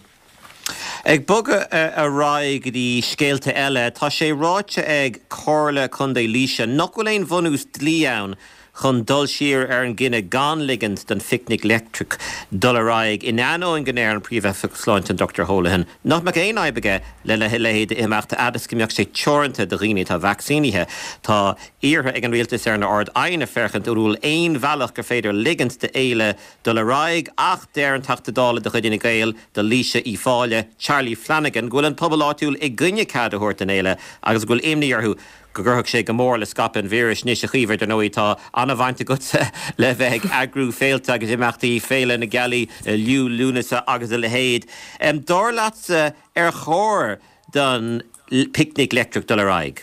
Ag bogadh ar aghaidh go dtí scéalta eile, tá sé ráite ag Comhairle Contae Laoise nach bhfuil aon bhunús dlí ann chun dul siar ar an gcinneadh gan ligint don Phicnic Leictreach dul ar aghaidh, in ainneoin go ndeir an Príomhoifigeach Sláinte an Dochtúir Holohan nach mbeadh aon fhadhb aige lena leithéid d'imeacht a fhad is go mbeadh sé teoranta do dhaoine atá vacsaínithe. Tá iarrtha ag an Rialtas ar an Ard-Aighne féachaint an bhfuil aon bhealach gur féidir ligint d'fhéile dul ar aghaidh ach deir an Teachta Dála de chuid Fhine Gael do Laoise Uíbh Fhailí, Charlie Flanagan, go bhfuil an pobal áitiúil i gcoinne cead a thabhairt don fhéile agus go bhfuil imní orthu go gcuirfeadh sé go mór le scaipeadh an víris. Anois, a Chaoimhe, dar ndóigh, tá an-bhaint agatsa le bheith ag eagrú féilte agus imeachtaí, Féile na Gealaí, Liú Lúnasa agus a leithéid. Dar leatsa, ar chóir don Phicnic Leictreach dul ar aghaidh?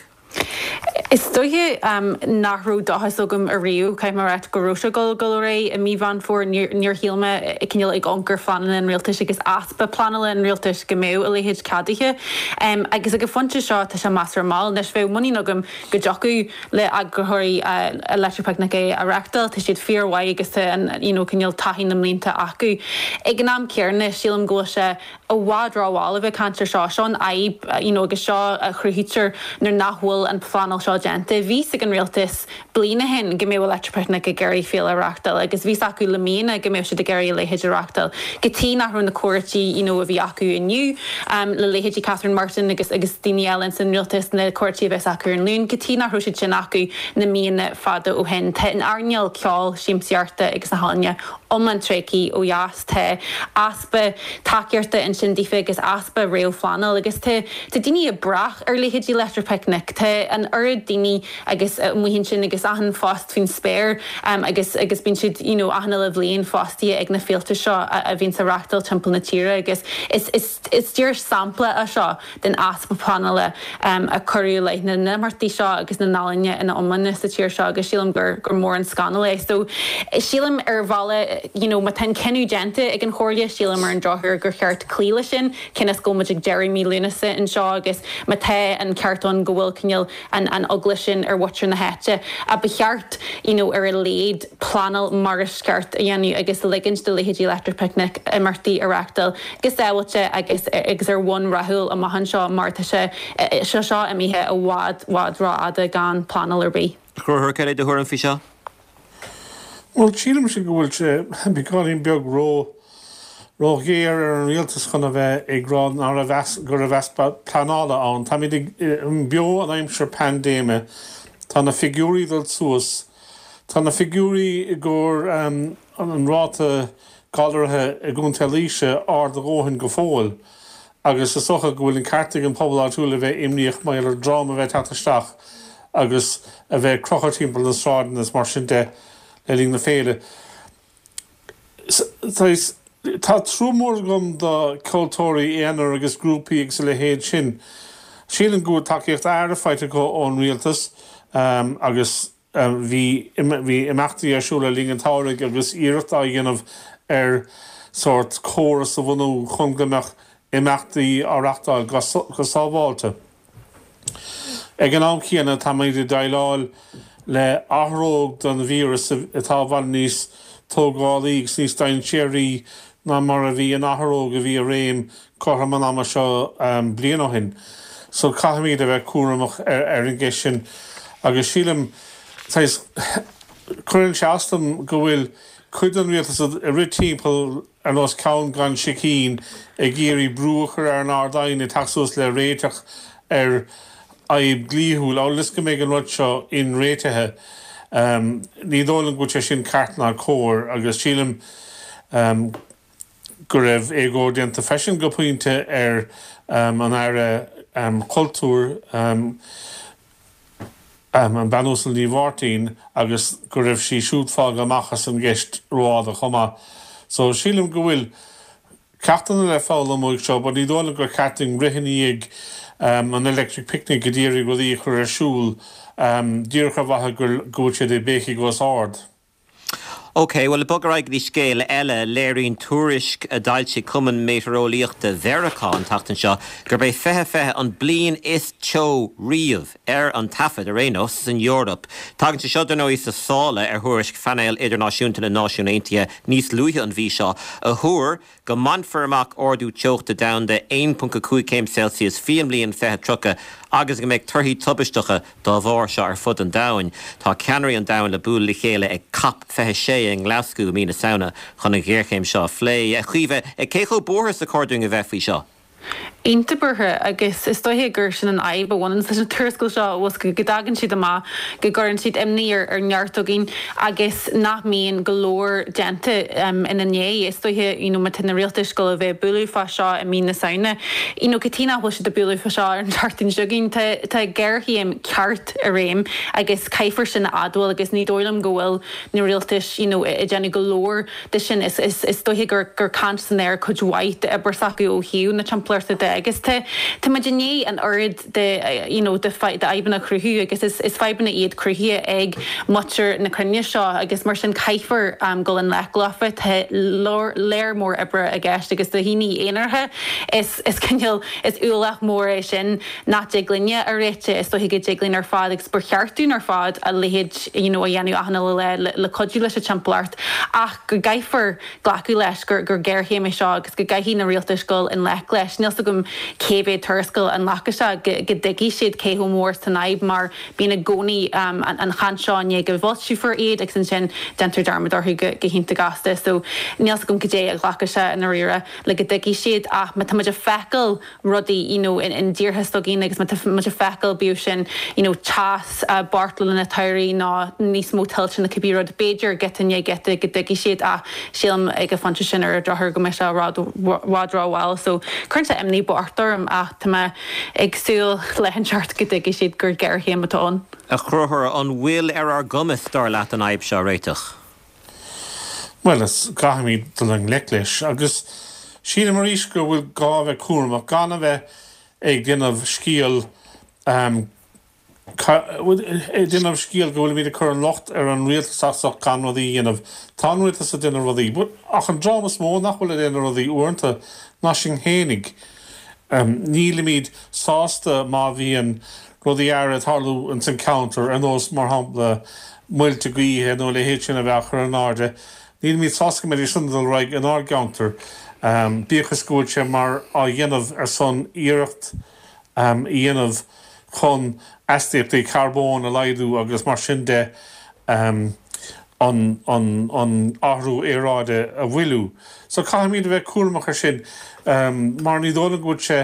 Is dóiche nach raibh dóchas agam ariamh, caithfidh mé a rá, go raibh sé ag dul dul ar aghaidh i mí Mheán Fómhair. Níor shíl mé, cineál ag amharc ar phleananna an rialtais agus easpa pleanála an rialtais, go mbeadh a leithéid ceadaithe. Agus ag an phointe seo tá sé measartha mall. Anois bheadh muinín agam go dtiocfadh le eagraitheoirí Electric Picnic é a reáchtáil. Tá siad fíormhaith agus tá an you know cineál taithí na mblianta acu. Ag an am céanna sílim go bhfuil sé i bhfad rómhall a bheith ag caint ar seo. Seo an fhadhb you know agus seo a chruthaítear nuair nach bhfuil bhfuil an phleanáil seo déanta. Bhí a fhios ag an rialtas bliain ó shin go mbeadh Electric Picnic ag iarraidh féile a reáchtáil agus bhí a fhios acu le míonna go mbeadh siad ag iarraidh a leithéid a reáchtáil. Cad chuige nach raibh na comhráití you know, a bhí acu inniu um, le leithéidí Catherine Martin agus agus daoine eile san rialtas na comhráití a bheas acu ar an Luan, cad chuige nach raibh siad sin acu na míonna fada ó shin. Tá an earnáil ceoil siamsaíochta agus na healaíona iomlán tréigthe ó dheas tá easpa tacaíochta ansin daofa agus easpa réamhphleanáil agus tá tá daoine ag brath ar leithéidí Electric Picnic Tá an oiread daoine agus amuigh ansin agus achan phost faoin spéir um, agus agus bíonn siad you know, achan uile bhliain fostaithe ag na féilte seo a, a bhíonn á reáchtáil timpeall na tíre agus is, is, is díreach sampla é seo den easpa pleanála um, a cuireadh le na n-imeachtaí seo agus na n-ealaíona ina iomláine sa tír seo agus sílim gur gur mór an scannal é. So sílim ar bhealach you know, má tá cinneadh déanta ag an chomhairle sílim ar an drochuair gur cheart cloí leis sin cionn is go bhfuil muid ag deireadh mí Lúnasa anseo agus má tá an ceart ann go bhfuil cineál an an eagla sin ar mhuintir na háite a ba cheart you know, ar a laghad pleanáil mar is ceart a dhéanamh agus ligint do leithéidí Electric Picnic imeachtaí a reáchtáil go sábháilte agus agus ar bhonn rathúil amach anseo mar tá sé seo seo imithe i bhfad bhfad rófhada gan pleanáil ar bith. Chuir cé do thuairim faoi seo? Well sílim sé go bhfuil sé beagáinín beag ró ró-ghéar ar an rialtas chun a bheith ag rá ná go raibh easpa pleanála ann. Táimid beo in aimsir paindéime, Tá na figiúirí dul suas, Tá na figiúirí i gcomhair um, an ráta galraithe i gContae Laoise ard a dhóthain go fóill. agus is dócha go bhfuil an ceart ag an pobal áitiúil a bheith imníoch mar ar dream a bheith teacht isteach agus a bheith crochadh timpeall na sráideanna is mar sin de le linn na féile. Tá trua mór agam do ceoltóirí aonair agus grúpaí agus a leithéid sin. Sílim go bhfuil tacaíocht aire faighte acu ón rialtas um, agus um, bhí bhí imeachtaí ar siúl le linn an tsamhraidh agus iarracht á dhéanamh ar sórt córas a bhunú chun go mbeadh imeachtaí á reáchtáil go sábháilte. Ag an am céanna táimid ag déileáil le athróg den víreas atá i bhfad níos tógálaí agus níos dainséaraí ná mar a bhí an athróg a bhí i réim cothrom an ama seo um, bliain ó shin. So caithfimid a bheith cúramach ar, ar an gceist sin agus sílim cuireann sé as dom go bhfuil cuid den rialtas ag rith timpeall ar nós ceann gan sicín ag iarraidh brú a chur ar an Ard-Aighne teacht suas le réiteach ar fhadhb dhlíthiúil amhail is go mbeidh an rud seo inréitithe. Um, ní dóigh liom go bhfuil sé sin ceart ná cóir agus sílim um, go raibh éagóir déanta freisin go pointe ar um, an aire um, cultúir um, um, an Bhean Uasal Ní Mháirtín agus go raibh sí siúd fágtha amach as an gceist rófhada chomh maith. So sílim go bhfuil ceachtanna le foghlaim uaidh seo, but ní dóigh liom gur ceart dúinn rith i ndiaidh um, an Electric Picnic go d'iarraidh rudaí a chur ar siúl um, díreach ar mhaithe go bhfuil siad ag béicíl os ard. Ok, well bog ar aghaidh go dtí scéal eile léiríonn tuairisc a d'fhoilsigh Cumann Meitéareolaíochta Mheiriceá an tseachtain seo gurb é fiche fiche an bliain is teo riamh ar an taifead ar aon nós san Eoraip. Tagann sé seo dar ndóigh sa sála ar thuairisc Phainéal Idirnáisiúnta na Náisiún Aontaithe níos luaithe an mhí seo a thuar go mbainfear amach ardú teochta domhanda aon ponc a cúig céim Celsius faoin mbliain fiche tríocha agus go mbeidh torthaí tubaisteacha dá bharr seo ar fud an domhain. Tá ceannairí an domhain le bualadh le chéile ag COP fiche sé i nGlaschú mí na Samhna chun an ghéarchéim seo a phlé. Caoimhe cé chomh buartha is a chóir dúinn a bheith faoi seo. Iontach buartha agus is dóiche gur sin an fhadhb a bhaineann leis an tuarascáil seo was go dtagann siad amach go gcuireann siad imní ar ar neart againn agus nach mbíonn go leor déanta um, ina ndiaidh is dóiche you know, má tá na rialtais ag gabháil a bheith ag bualadh fá seo i mí na Samhna. You know, cad chuige nach bhfuil siad ag bualadh fá seo ar an tseachtain seo chugainn tá tá géarchéim ceart i réim agus caithfear sin a admháil agus ní dóigh liom go bhfuil na rialtais you know, ag déanamh go leor de sin is, is, is dóiche gur gur caint san aer cuid mhaith d'obair s'acu ó thaobh na timpeallachta de agus tá tá muid i ndiaidh an oiread de you know, de fadhbanna a chruthú agus is, is fadhbanna iad cruthaithe ag muintir na cruinne seo agus mar sin caithfear um, dul i ngleic leofa tá léir mór oibre i gceist agus do dhaoine aonaracha is is cineál is ualach mór é sin nach dtig linne a réiteach is dóiche go dtig linn ar fad agus ba cheart dúinn ar fad a leithéid you know, a dhéanamh achan le le, le cuidiú leis an timpeallacht ach go gcaithfear glacadh leis gur gur géarchéim é seo agus go gcaithfidh na rialtais dul i ngleic leis. Níl agam cé mhéad tuarascáil a nglacfaidh sé go go dtuigfidh siad cé chomh mór is atá an fhadhb mar bíonn i gcónaí an chaint seo i ndiaidh go bhfoilseofar iad agus ansin déantar dearmad orthu go go hiontach gasta. So níl 's agam cad é a ghlacfaidh sé i ndáiríre le go dtuigfidh siad ach má tá muid ag feiceáil rudaí you know in in dtíortha s'againn agus má tá muid ag feiceáil bíodh sin you know teas beartlanna tsamhraidh nó níos mó tuilte nó cibé rud b'fhéidir giota i ndiaidh giota go dtuigfidh siad ach sílim ag an phointe sin ar an drochuair go mbeidh sé i bhfad rómhall so cuireann sé imní bocht orm ach tá mé ag súil le hinseacht go dtuigfidh siad gur géarchéim atá ann. A Chonchúir, an bhfuil ar ár gcumas dar leat an fhadhb seo a réiteach? Bhuel, is caithfimid dul i ngleic leis agus sílim arís go bhfuil gá a bheith cúramach gan a bheith ag déanamh scéal ag déanamh scéal go bhfuilimid ag cur an locht ar an rialtas as ucht gan rudaí a dhéanamh. Tá an rialtas ag déanamh rudaí, but ach an dream is mó nach bhfuil ag déanamh rudaí uaireanta ná sinn fhéinig. Nílimid sásta má bhíonn rudaí áirithe ag tarlú ins an ceantar, ar nós, mar shampla, muilte gaoithe nó a leithéid sin a bheith á chur in airde. Nílimid sásta go mbeidís sin ag dul ar aghaidh inár gceantar, bíodh is go bhfuil sé mar á dhéanamh ar son iarracht a dhéanamh chun astaíochtaí carbóin a laghdú agus mar sin de an an athrú aeráide a mhoilliú. So caithfimid a bheith cúramach ar sin mar ní dóigh liom go bhfuil sé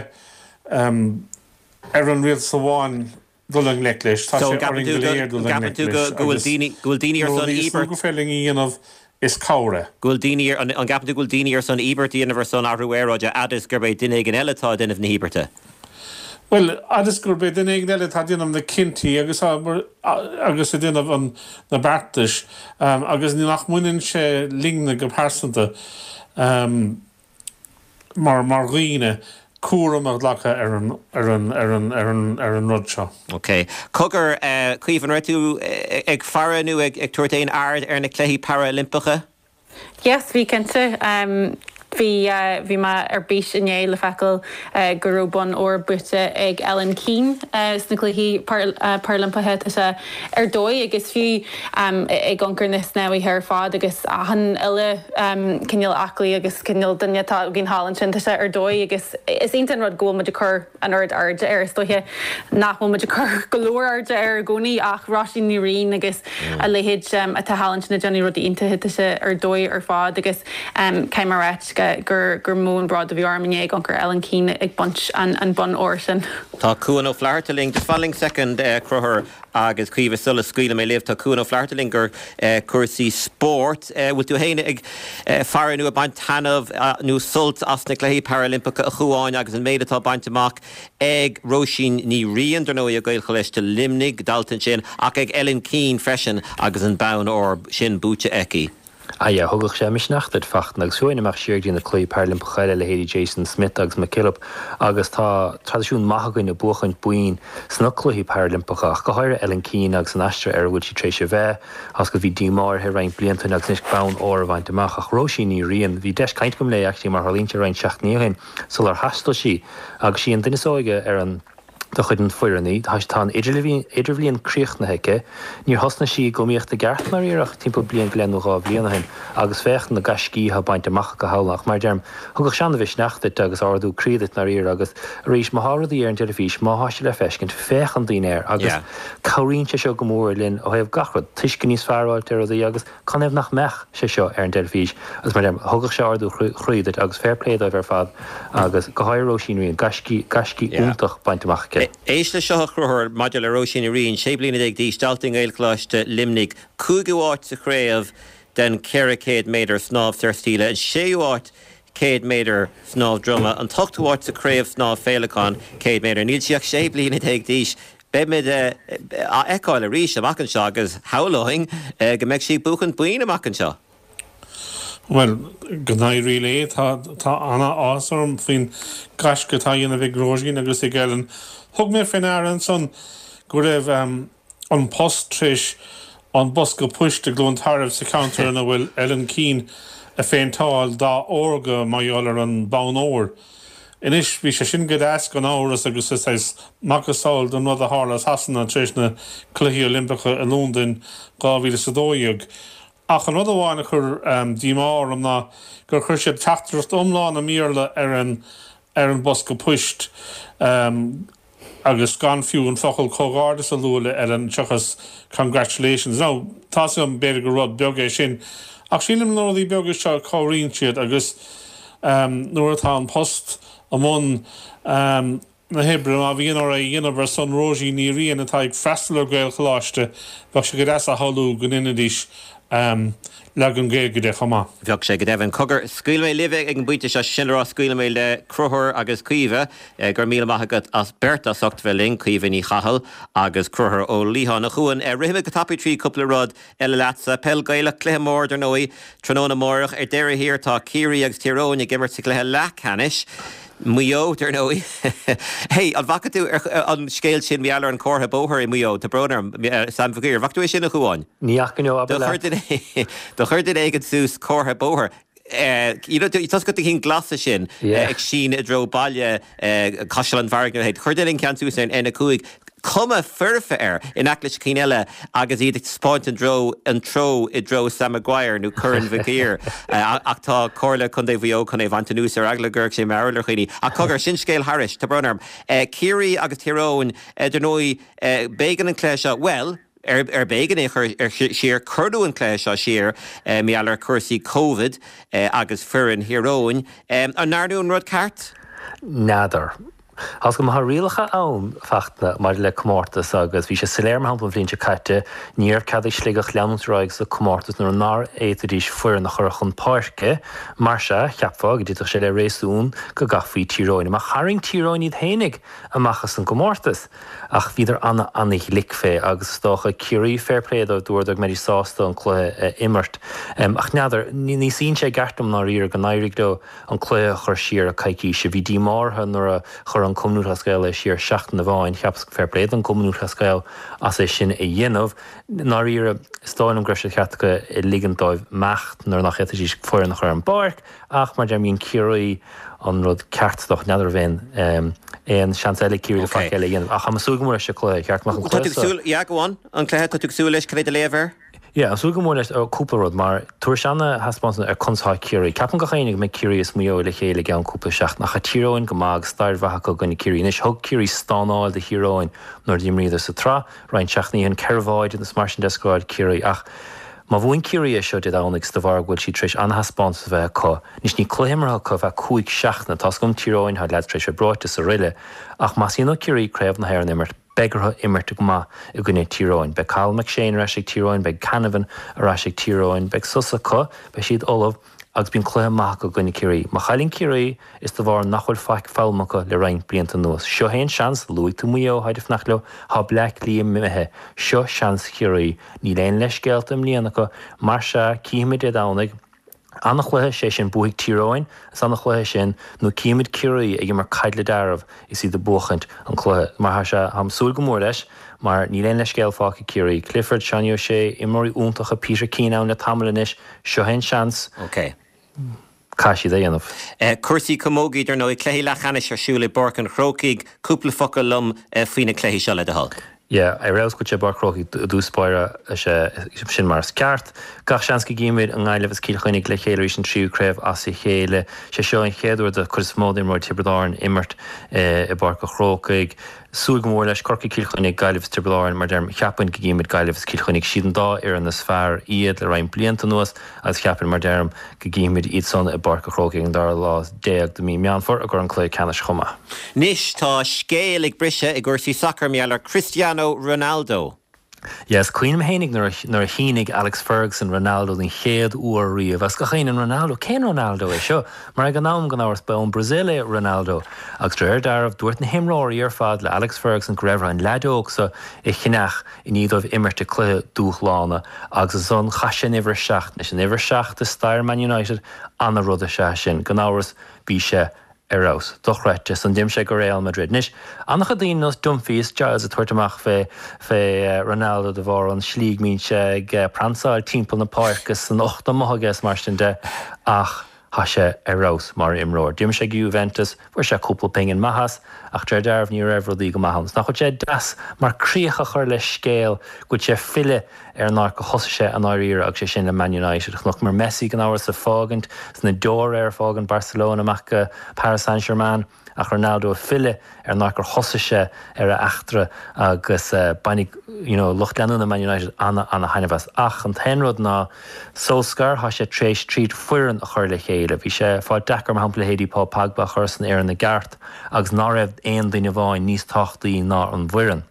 ar an rialtas amháin dul i ngleic leis, tá sé orainn go léir dul i ngleic leis agus rudaí is mó gur féidir linn a dhéanamh is cabhair é. Go bhfuil daoine ar, an gceapann tú go bhfuil daoine ar son íobairt a dhéanamh ar son athrú aeráide fhad is gurb é duine éigin eile atá ag déanamh na híobairte? Bhuel, fhad is gurb é duine éigin eile atá ag déanamh na cinntí agus agus ag déanamh an na beartais agus nach mbaineann sé linne go pearsanta mar mar dhaoine, cúram a ghlacadh ar an ar an ar an ar an ar an rud seo. Ok. Cogar, Caoimhe, an raibh tú ag faire nó ag tabhairt aon aird ar na Cluichí Parailimpeacha? Yes, bhí cinnte. Bhí bhí mé ar bís inné le feiceáil go raibh bonn óir buaite ag Ellen Keane sna Cluichí Parailimpeacha. Tá sé ar dóigh agus fiú ag amharc ar na snámhaithe ar fad agus achan uile cineál aclaí agus cineál duine atá againn thall ansin, tá sé ar dóigh agus is iontach an rud go bhfuil muid ag cur an oiread airde air. Is dóiche nach bhfuil muid ag cur go leor airde air i gcónaí ach Róisín Ní Riain agus a leithéid atá thall ansin ag déanamh rudaí iontacha, tá sé ar dóigh ar fad agus caithfidh mé a ráit gur gur mó an bród a bhí orm inné ag amharc ar Ellen Keane ag baint an an bonn óir sin. Tá Cuan Ó Flatharta linn. Just fan linn soicind, a Chonchúir agus Caoimhe sula scaoilfidh mé libh. Tá Cuan Ó Flatharta linn gur cúrsaí spóirt. Bhfuil tú féin ag faire nó ag baint taitneamh nó sult as na Cluichí Parailimpeacha a Chuáin agus an méid atá bainte amach ag Róisín Ní Riain, dar ndóigh, i Gaelcholáiste Luimnigh, dalta ansin, ach ag Ellen Keane freisin agus an bonn óir sin buaite aici. Ah yeah, thugadh sé misneach duit Fachtna agus fiú imeacht siar go dtí na Cluichí Parailimpeacha eile, leithéidí Jason Smith agus McKillop agus tá traidisiún maith againn ag buachaint boinn sna Cluichí Parailimpeacha ach go háirithe Ellen Keane agus an aistear ar a bhfuil sí tar éis a bheith agus go bhí díomá uirthi roinnt blianta ó shin agus anois bonn óir a bhaint amach ach Róisín Ní Riain, bhí deis caint agam léi actually mar tharlaíonn sé roinnt seachtainí ó shin sular thaistil sí agus sí an duine is óige ar an de chuid an foireann í. Tá an idirbhliain críochnaithe aici. Níor thosnaigh sí ag iomaíocht i gceart ndáiríre ach timpeall bliain go leith nó dhá bhliain ó shin agus féach na gaiscí atá bainte amach aici thall. Ach mar a deirim, thugadh sé an-mhisneach duit agus ardú croí duit ndáiríre agus arís má thá rudaí ar an dteilifís, má thá sé le feiscint, féachann daoine air agus cabhraíonn sé seo go mór linn ó thaobh gach rud, tuiscint níos fearr a fháilt ar rudaí agus canathaobh nach mbeadh sé seo ar an dteilifís agus mar a deirim, thugadh sé ardú chroí duit agus fair play dóibh ar fad agus go háirithe Róisín Ní Riain, gaiscí, gaiscí iontach bainte amach aici. Éist le seo a Chonchúir maidir le Róisín Ní Riain, sé bliana déag d'aois, dalta i nGaelcholáiste Luimnigh, cúigiú háit sa chraobh den ceithre chéad méadar snámh saorstíle, an séú háit céad méadar snámh droma, an t-ochtú háit sa chraobh snámh féileacáin céad méadar. Níl sí ach sé bliana déag d'aois. Beimid á fheiceáil arís amach anseo agus shamhlóinn go mbeidh sí ag buachan boinn amach anseo. Bhuel, go n-éirí léi. Tá tá an-áthas orm faoin gaisce atá á dhéanamh ag Róisín agus ag Ellen. Thug mé faoi ndeara ansan go raibh An Post tar éis an bosca poist i gCluain Tarbh sa cheantar ina bhfuil Ellen Keane a phéinteáil dath órga mar gheall ar an bonn óir. Anois, bhí sé sin go deas gan amhras agus is saghas macasamhail den rud a tharla i Sasana tar éis na Cluichí Oilimpeacha i Londain dhá mhíle is a dó dhéag. Ach an rud amháin a chuir díomá orm ná gur chuir siad teachtaireacht iomlán i mBéarla ar an ar an bosca poist agus gan fiú an focal comhghairdeas a lua le Ellen seachas congratulations. Now, tá an b'fhéidir gur rud beag é sin. Ach sílim na rudaí beaga seo cabhraíonn siad agus nuair atá an post i mbun na hoibre má bhíonn orthu é a dhéanamh ar son Róisín Ní Riain atá ag freastal ar Ghaelcholáiste, bheadh sé go deas a shamhlú go ndéanfaidís leagan Gaeilge de chomh maith. Bheadh sé go deimhin. Cogar, scaoilfidh mé libh ag an bpointe seo, sin le rá scaoilfidh mé le Conchúr agus Caoimhe. Go raibh míle maith agat as beirt as ucht bheith linn, Caoimhe Ní Chathail agus Conchúr Ó Liatháin. A Chuain, rithfidh mé go tapaidh trí cúpla rud eile leatsa. Peil Gaelach, cluiche mór dar ndóigh, tráthnóna amárach. Ar deireadh thiar tá Ciarraí agus Tír Eoghain ag imirt sa chluiche leathcheannais. Maigh Eo, dar ndóigh. Hey, an bhfaca tú an scéal sin mar gheall ar an comhartha bóthair i Maigh Eo? Tá brón orm, Sam Mhic Uidhir. Bhfaca tú é sin a Chuáin? Ní fhaca no, abair leat. Do chuir duine éigin suas comhartha bóthair. You know, tá fhios agat na cinn glasa sin ag síneadh i dtreo baile Caisleán Bharraigh nó a leithéid. Chuir duine an ceann suas ar an N a cúig. Cuma foirfe air in aice leis cinn eile agus iad ag taispeáint an treo an treo i dtreo Sam Maguire nó Corn Mhic Uidhir. Ach tá Comhairle Contae Mhaigh Eo chun é a bhaint anuas ar eagla go gcuirfeadh sé mearbhall ar dhaoine. Ach cogar, sin scéal thairis, tá brón orm. Ciarraí agus Tír Eoghain, dar ndóigh, b'éigean an cluiche seo, bhuel, ar ar b'éigean é a chur ar siar, cuireadh an cluiche seo siar mar gheall ar chúrsaí Covid agus foireann Thír Eoghain. An ndearnadh an rud ceart? N'fheadar. Tá go maith rialacha ann Fachtna maidir le comórtas agus bhí sé soiléir mar shampla an bhliain seo caite, ní raibh cead ag Sligeach leanúint ar aghaidh sa comórtas nuair nár fhéadfaidís foireann a chur chun páirce. Mar sea, cheapfá go dtitfeadh sé le réasún go gcaithfí Tír Eoghain amach. Tharraing Tír Eoghain iad fhéinig amach as an gcomórtas ach bhíodar ana ana-ghlic fé agus is dócha Ciarraí, fair play dóibh, dúradar go mbeidís sásta an cluiche a imirt. Ach n'fheadar, ní suíonn sé i gceart liom ndáiríre go n-éirigh leo an cluiche a chur siar coicíse. Bhí díomá orthu nuair a chuir an Cumann Lúthchleas Gael é siar seachtain amháin. Cheapas fair play don Cumann Lúthchleas Gael as é sin a dhéanamh. Ndáiríre, is dóigh liom go raibh sé ceart acu ligint dóibh imeacht nuair nach bhféadfaidís foireann a chur ar an bpáirc ach mar deirim dhein Ciarraí an rud ceart is dócha. N'fheadar an raibh aon seans eile ag Ciarraí le faic eile a dhéanamh ach tá mé ag súil go mór leis an cluiche. Cheart go mbeadh an cluiche Tá tú ag súil, yeah, go on, an cluiche, tá tú ag súil leis, cad é do léamh air? Yeah, ag súil go mór leis cúpla rud, mar tabharfaidh sé ana-thaispeántas ar conas atá Ciarraí. Ceapann gach éinne go mbeidh Ciarraí is Maigh Eo le chéile i gceann cúpla seachtain, ach tá Tír Eoghain go maith agus stair mhaith acu i gcoinne Ciarraí. Anois, thug Ciarraí stánáil do Thír Eoghain nuair a d'imríodar sa tsraith roinnt seachtainí ó shin, ceithre bháide agus mar sin de a scóráil Ciarraí. Ach má bhuann Ciarraí é seo Dé Domhnaigh is de bharr go bhfuil siad tar éis ana-thaispeántas a bheith acu. Anois, níl cluiche imeartha acu ar feadh cúig seachtaine. Tá's agam Tír Eoghain, tá leaids tar éis bheith breoite is araile. Ach más mian le Ciarraí Craobh na hÉireann a imirt, Beidh orthu imirt go maith i gcoinne Tír Eoghain. Beidh Cathal McShane ar ais ag Tír Eoghain, beidh Canavan ar ais ag Tír Eoghain, beidh sos acu, beidh siad ullamh agus bíonn cluiche maith acu i gcoinne Ciarraí. Má chailleann Ciarraí, is de bharr nach bhfuil faic foghlamtha acu le roinnt blianta anuas. Seo é an seans, luaigh tú Maigh Eo, tháid ag fanacht leo, tá Bleá Cliath imithe. Seo seans Chiarraí. Níl aon leithscéalta i mbliana acu, mar sea, cífimid Dé Domhnaigh. Ana-chluiche, sé sin, buafaidh Tír Eoghain, is ana-chluiche sin, nó cífimid Ciarraí ag imirt caidle dearbh is iad ag buachaint an cluiche. Mar tá sé, táim ag súil go mór leis, mar níl aon leithscéal fágtha ag Ciarraí. Clifford, Seánie O'Shea, imreoirí iontacha, Peter Keane ann le tamall anois, seo é an seans. Ok. Caithfidh siad é a dhéanamh. Cúrsaí camógaí, dar ndóigh, cluichí leathcheannais ar siúl i bPáirc an Chrócaigh. Cúpla focal liom faoi na cluichí seo, le do thoil. Yeah, ar fheabhas go bhfuil sé i bPáirc an Chrócaigh i dtús báire, sin mar is ceart. Gach seans go gcífimid an nGaillimh is Cill Chainnigh le chéile arís an tríú craobh as a chéile. Sé seo an chéad uair do chuid is mó d'imreoirí Tiobraid Árann imirt i bPáirc an Chrócaigh. Súil go mór leis, Corcaigh, Cill Chainnigh, Gaillimh is Tiobraid Árann, mar deirim, cheapfainn go gcífimid Gaillimh is Cill Chainnigh. Siad an dá fhoireann is fearr iad le roinnt blianta anuas agus cheapfainn, mar deirim, go gcífimid iad san i bPáirc an Chrócaigh an dara lá déag de mhí Meán Fómhair i gcomhair an cluiche ceannais chomh maith. Anois tá scéal ag briseadh i gcúrsaí sacair mar gheall ar Cristiano Ronaldo. Yes, cuimhním fhéinig nuair a nuair a shínigh Alex Ferguson Ronaldo den chéad uair riamh agus gach éinne Ronaldo, cén Ronaldo é seo? Mar ag an am gan amhras ba ón Brazil é Ronaldo agus de réir dealraimh dúirt na himreoirí ar fad le Alex Ferguson go raibh orthu an leaid óg seo a cheannach i ndiaidh dóibh imirt i cluiche dúshlána agus ansan chaith sé an uimhir a seacht. Anois an uimhir a seacht i stair Man United, ana-rud is ea sin. Gan amhras bhí sé ar fheabhas. Dochreidte. Ansan d'imigh sé go Real Madrid. Anois, an-chuid daoine nós Dunphy is Giles ag tabhairt amach fé fé Ronaldo de bharr an slí go mbíonn sé ag pransáil timpeall na páirce is an ucht amuigh aige is mar sin de ach tá sé ar fheabhas mar imreoir. D'imigh sé go Juventus, fuair sé cúpla pingin maith as ach de réir dealraimh ní raibh rudaí go maith ann. Is nach bhfuil sé deas mar críoch a chur le scéal go bhfuil sé ag filleadh ar an áit gur thosaigh sé i ndáiríre agus sé sin le Man United. Chonaiceamar Messi gan amhras ag fágaint is na deora air ag fágaint Barcelona amach go Paris Saint-Germain ach Ronaldo ag filleadh ar an áit gur thosaigh sé ar a eachtra agus bainfidh you know lucht leanúna Man United ana ana thaitneamh as. Ach an t-aon rud ná Solskjaer tá sé tar éis triail foireann a chur le chéile. Bhí sé ag fáil deacair mar shampla leithéidí Paul Pogba a chur san fhoireann i gceart agus ná raibh aon duine amháin níos tábhachtaí ná an bhfoireann.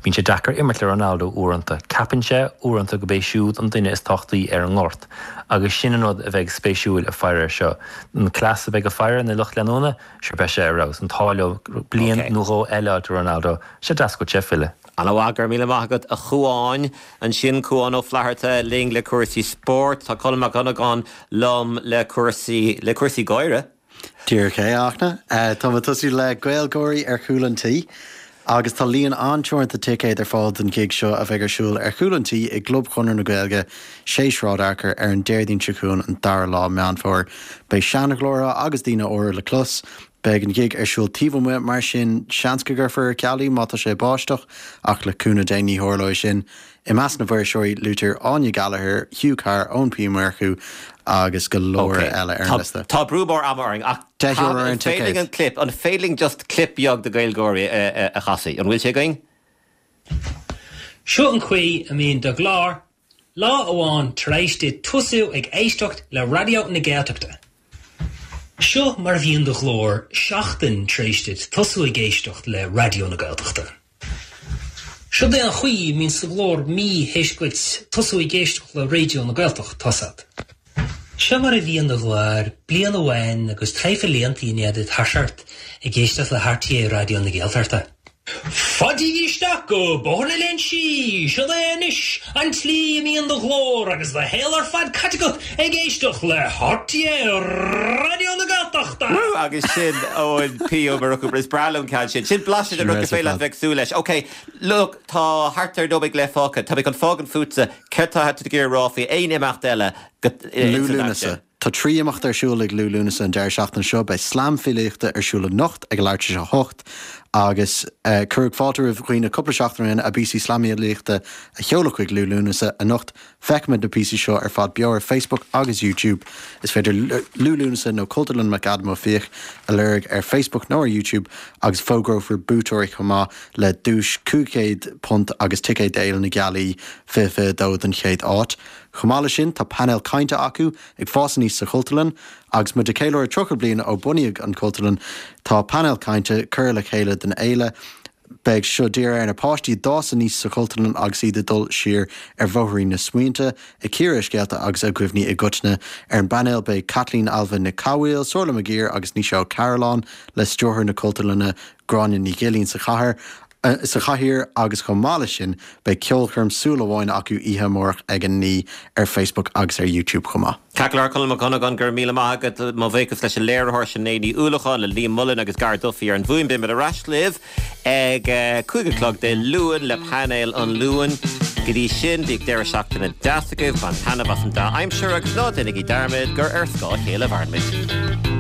Bíonn sé deacair imirt le Ronaldo uaireanta. Ceapann sé uaireanta gurb é siúd an duine is tábhachtaí ar an ngort. Agus sin an rud a bheidh spéisiúil ag faire air seo. An cleas a bheidh ag faire na lucht leanúna, sure beidh sé ar fheabhas. An t-ádh leo bliain nó dhó eile do Ronaldo, sé deas go bhfuil sé ag filleadh. Ana mhaith, go raibh míle maith agat a Chuáin. Ansin Cuán Ó Flatharta linn le cúrsaí spóirt. Tá Colm Mac Dhonnagáin liom le cúrsaí le cúrsaí gáire. Díreach é, a Fhachtna. Tá mé ag tosú le Gaelgáirí ar chúl an tí agus tá líon an-teoranta ticéad ar fáil don ghig seo a bheidh ar siúl ar chúl an tí i gClub Chonradh na Gaeilge, sé Sráid Fhearchair ar an Déardaoin seo chugainn an dara lá Meán Fómhair. Beidh seanghlórtha agus daoine úra le clos. Beidh an ghig ar siúl taobh amuigh mar sin seans go gcuirfear ar ceal í má tá sé ag báisteach ach le cúnamh Dé ní tharlóidh sin. I measc na bhfuirseoirí luaitear Áine Gallagher, Hugh Carr, Eoin P Murchú agus go leor eile ar an liosta. Tá brú mór ama orainn ach Deich euro ar an an ticéad. féidir an clip, an féidir linn just clip beag de Gaelgáirí a chasadh? An bhfuil sé againn? Seo an chaoi a mbíonn do ghlór, lá amháin tar éis duit tosú ag éisteacht le Raidió na Gaeltachta. Seo mar a bhíonn do ghlór seachtain tar éis duit tosú ag éisteacht le Raidió na Gaeltachta. Seo é an chaoi a mbíonn do ghlór mí théis duit tosú ag éisteacht le Raidió na Gaeltachta. Seo mar a bhíonn do ghlór bliain amháin agus traidhfil blianta i ndiaidh duit toiseacht ag éisteacht le RTÉ Raidió na Gaeltachta. Fáiltigí isteach go Bóthar na Léinsí, Seo é anois an tslí a mbíonn do ghlór agus do shaol ar fad caite agat ag éisteacht le RTÉ Raidió na Gaeltachta! Woo! Agus sin Eoin P. Ó Murchú, is breá liom ceann sin. Sin blaiseadh den rud gur féidir leat bheith ag súil leis. Ok, look, tá thart ar nóiméad go leith fágtha. Tá mé chun fágaint fútsa. Céard tá tú ag iarraidh a rá faoi aon imeacht eile go, Liú Lúnasa. Tá trí imeacht ar siúl ag Liú Lúnasa an deireadh seachtaine seo. Beidh slam filíochta ar siúl anocht ag a leathuair tar éis a hocht agus cuireadh fáilte roimh dhaoine cúpla seachtain ó shin a bpíosaí slamfhilíochta a sheoladh chuig Liú Lúnasa anocht. Feicfimid na píosaí seo ar fad beo ar Facebook agus YouTube. Is féidir Liú Lúnasa nó Cultúrlann McAdam Ó Fiaich a lorg ar Facebook nó ar YouTube agus fógrófar buaiteoirí chomh maith le duais cúig chéad punt agus ticéad d'Fhéile na Gealaí fiche fiche a dó don chéad áit. Chomh maith leis sin, tá painéal cainte acu ag fás aníos sa Chultúrlann agus muid ag ceiliúradh tríocha bliain ó bunaíodh an Chultúrlann, tá painéal cainte curtha le chéile don fhéile. Beidh seo dírithe ar na páistí a d'fhás aníos sa Chultúrlann agus iad ag dul siar ar bhóithrín na smaointe, ag cíoradh a scéalta agus a gcuimhní i gcoitinne. Ar an bpainéal beidh Caitlín Ailbhe Nic Cathmhaoil, Somhairle McGeer agus Naoise Ó Cairealláin le stiúrthóir na Cultúrlainne Gráinne Ní Ghilín sa chathair. sa chathaoir agus chomh maith leis sin beidh ceolchoirm súil amháin acu oíche amárach ag a naoi ar Facebook agus ar YouTube chomh maith. Ceart go leor Colm Mac Dhonnagáin, go raibh míle maith agat. Mo bhuíochas leis an léiritheoir Sinéad Ní Uallacháin, le Liam Mullen agus Gar Duffy ar an bhfuaim. Beimid ar ais libh ag cúig a chlog Dé Luain le painéal an Luain. Go dtí sin, bíodh deireadh seachtaine deas agaibh, bain taitneamh as an dea-aimsir agus ná déanaigí dearmad gur ar scáth a chéile a mhaireann muid.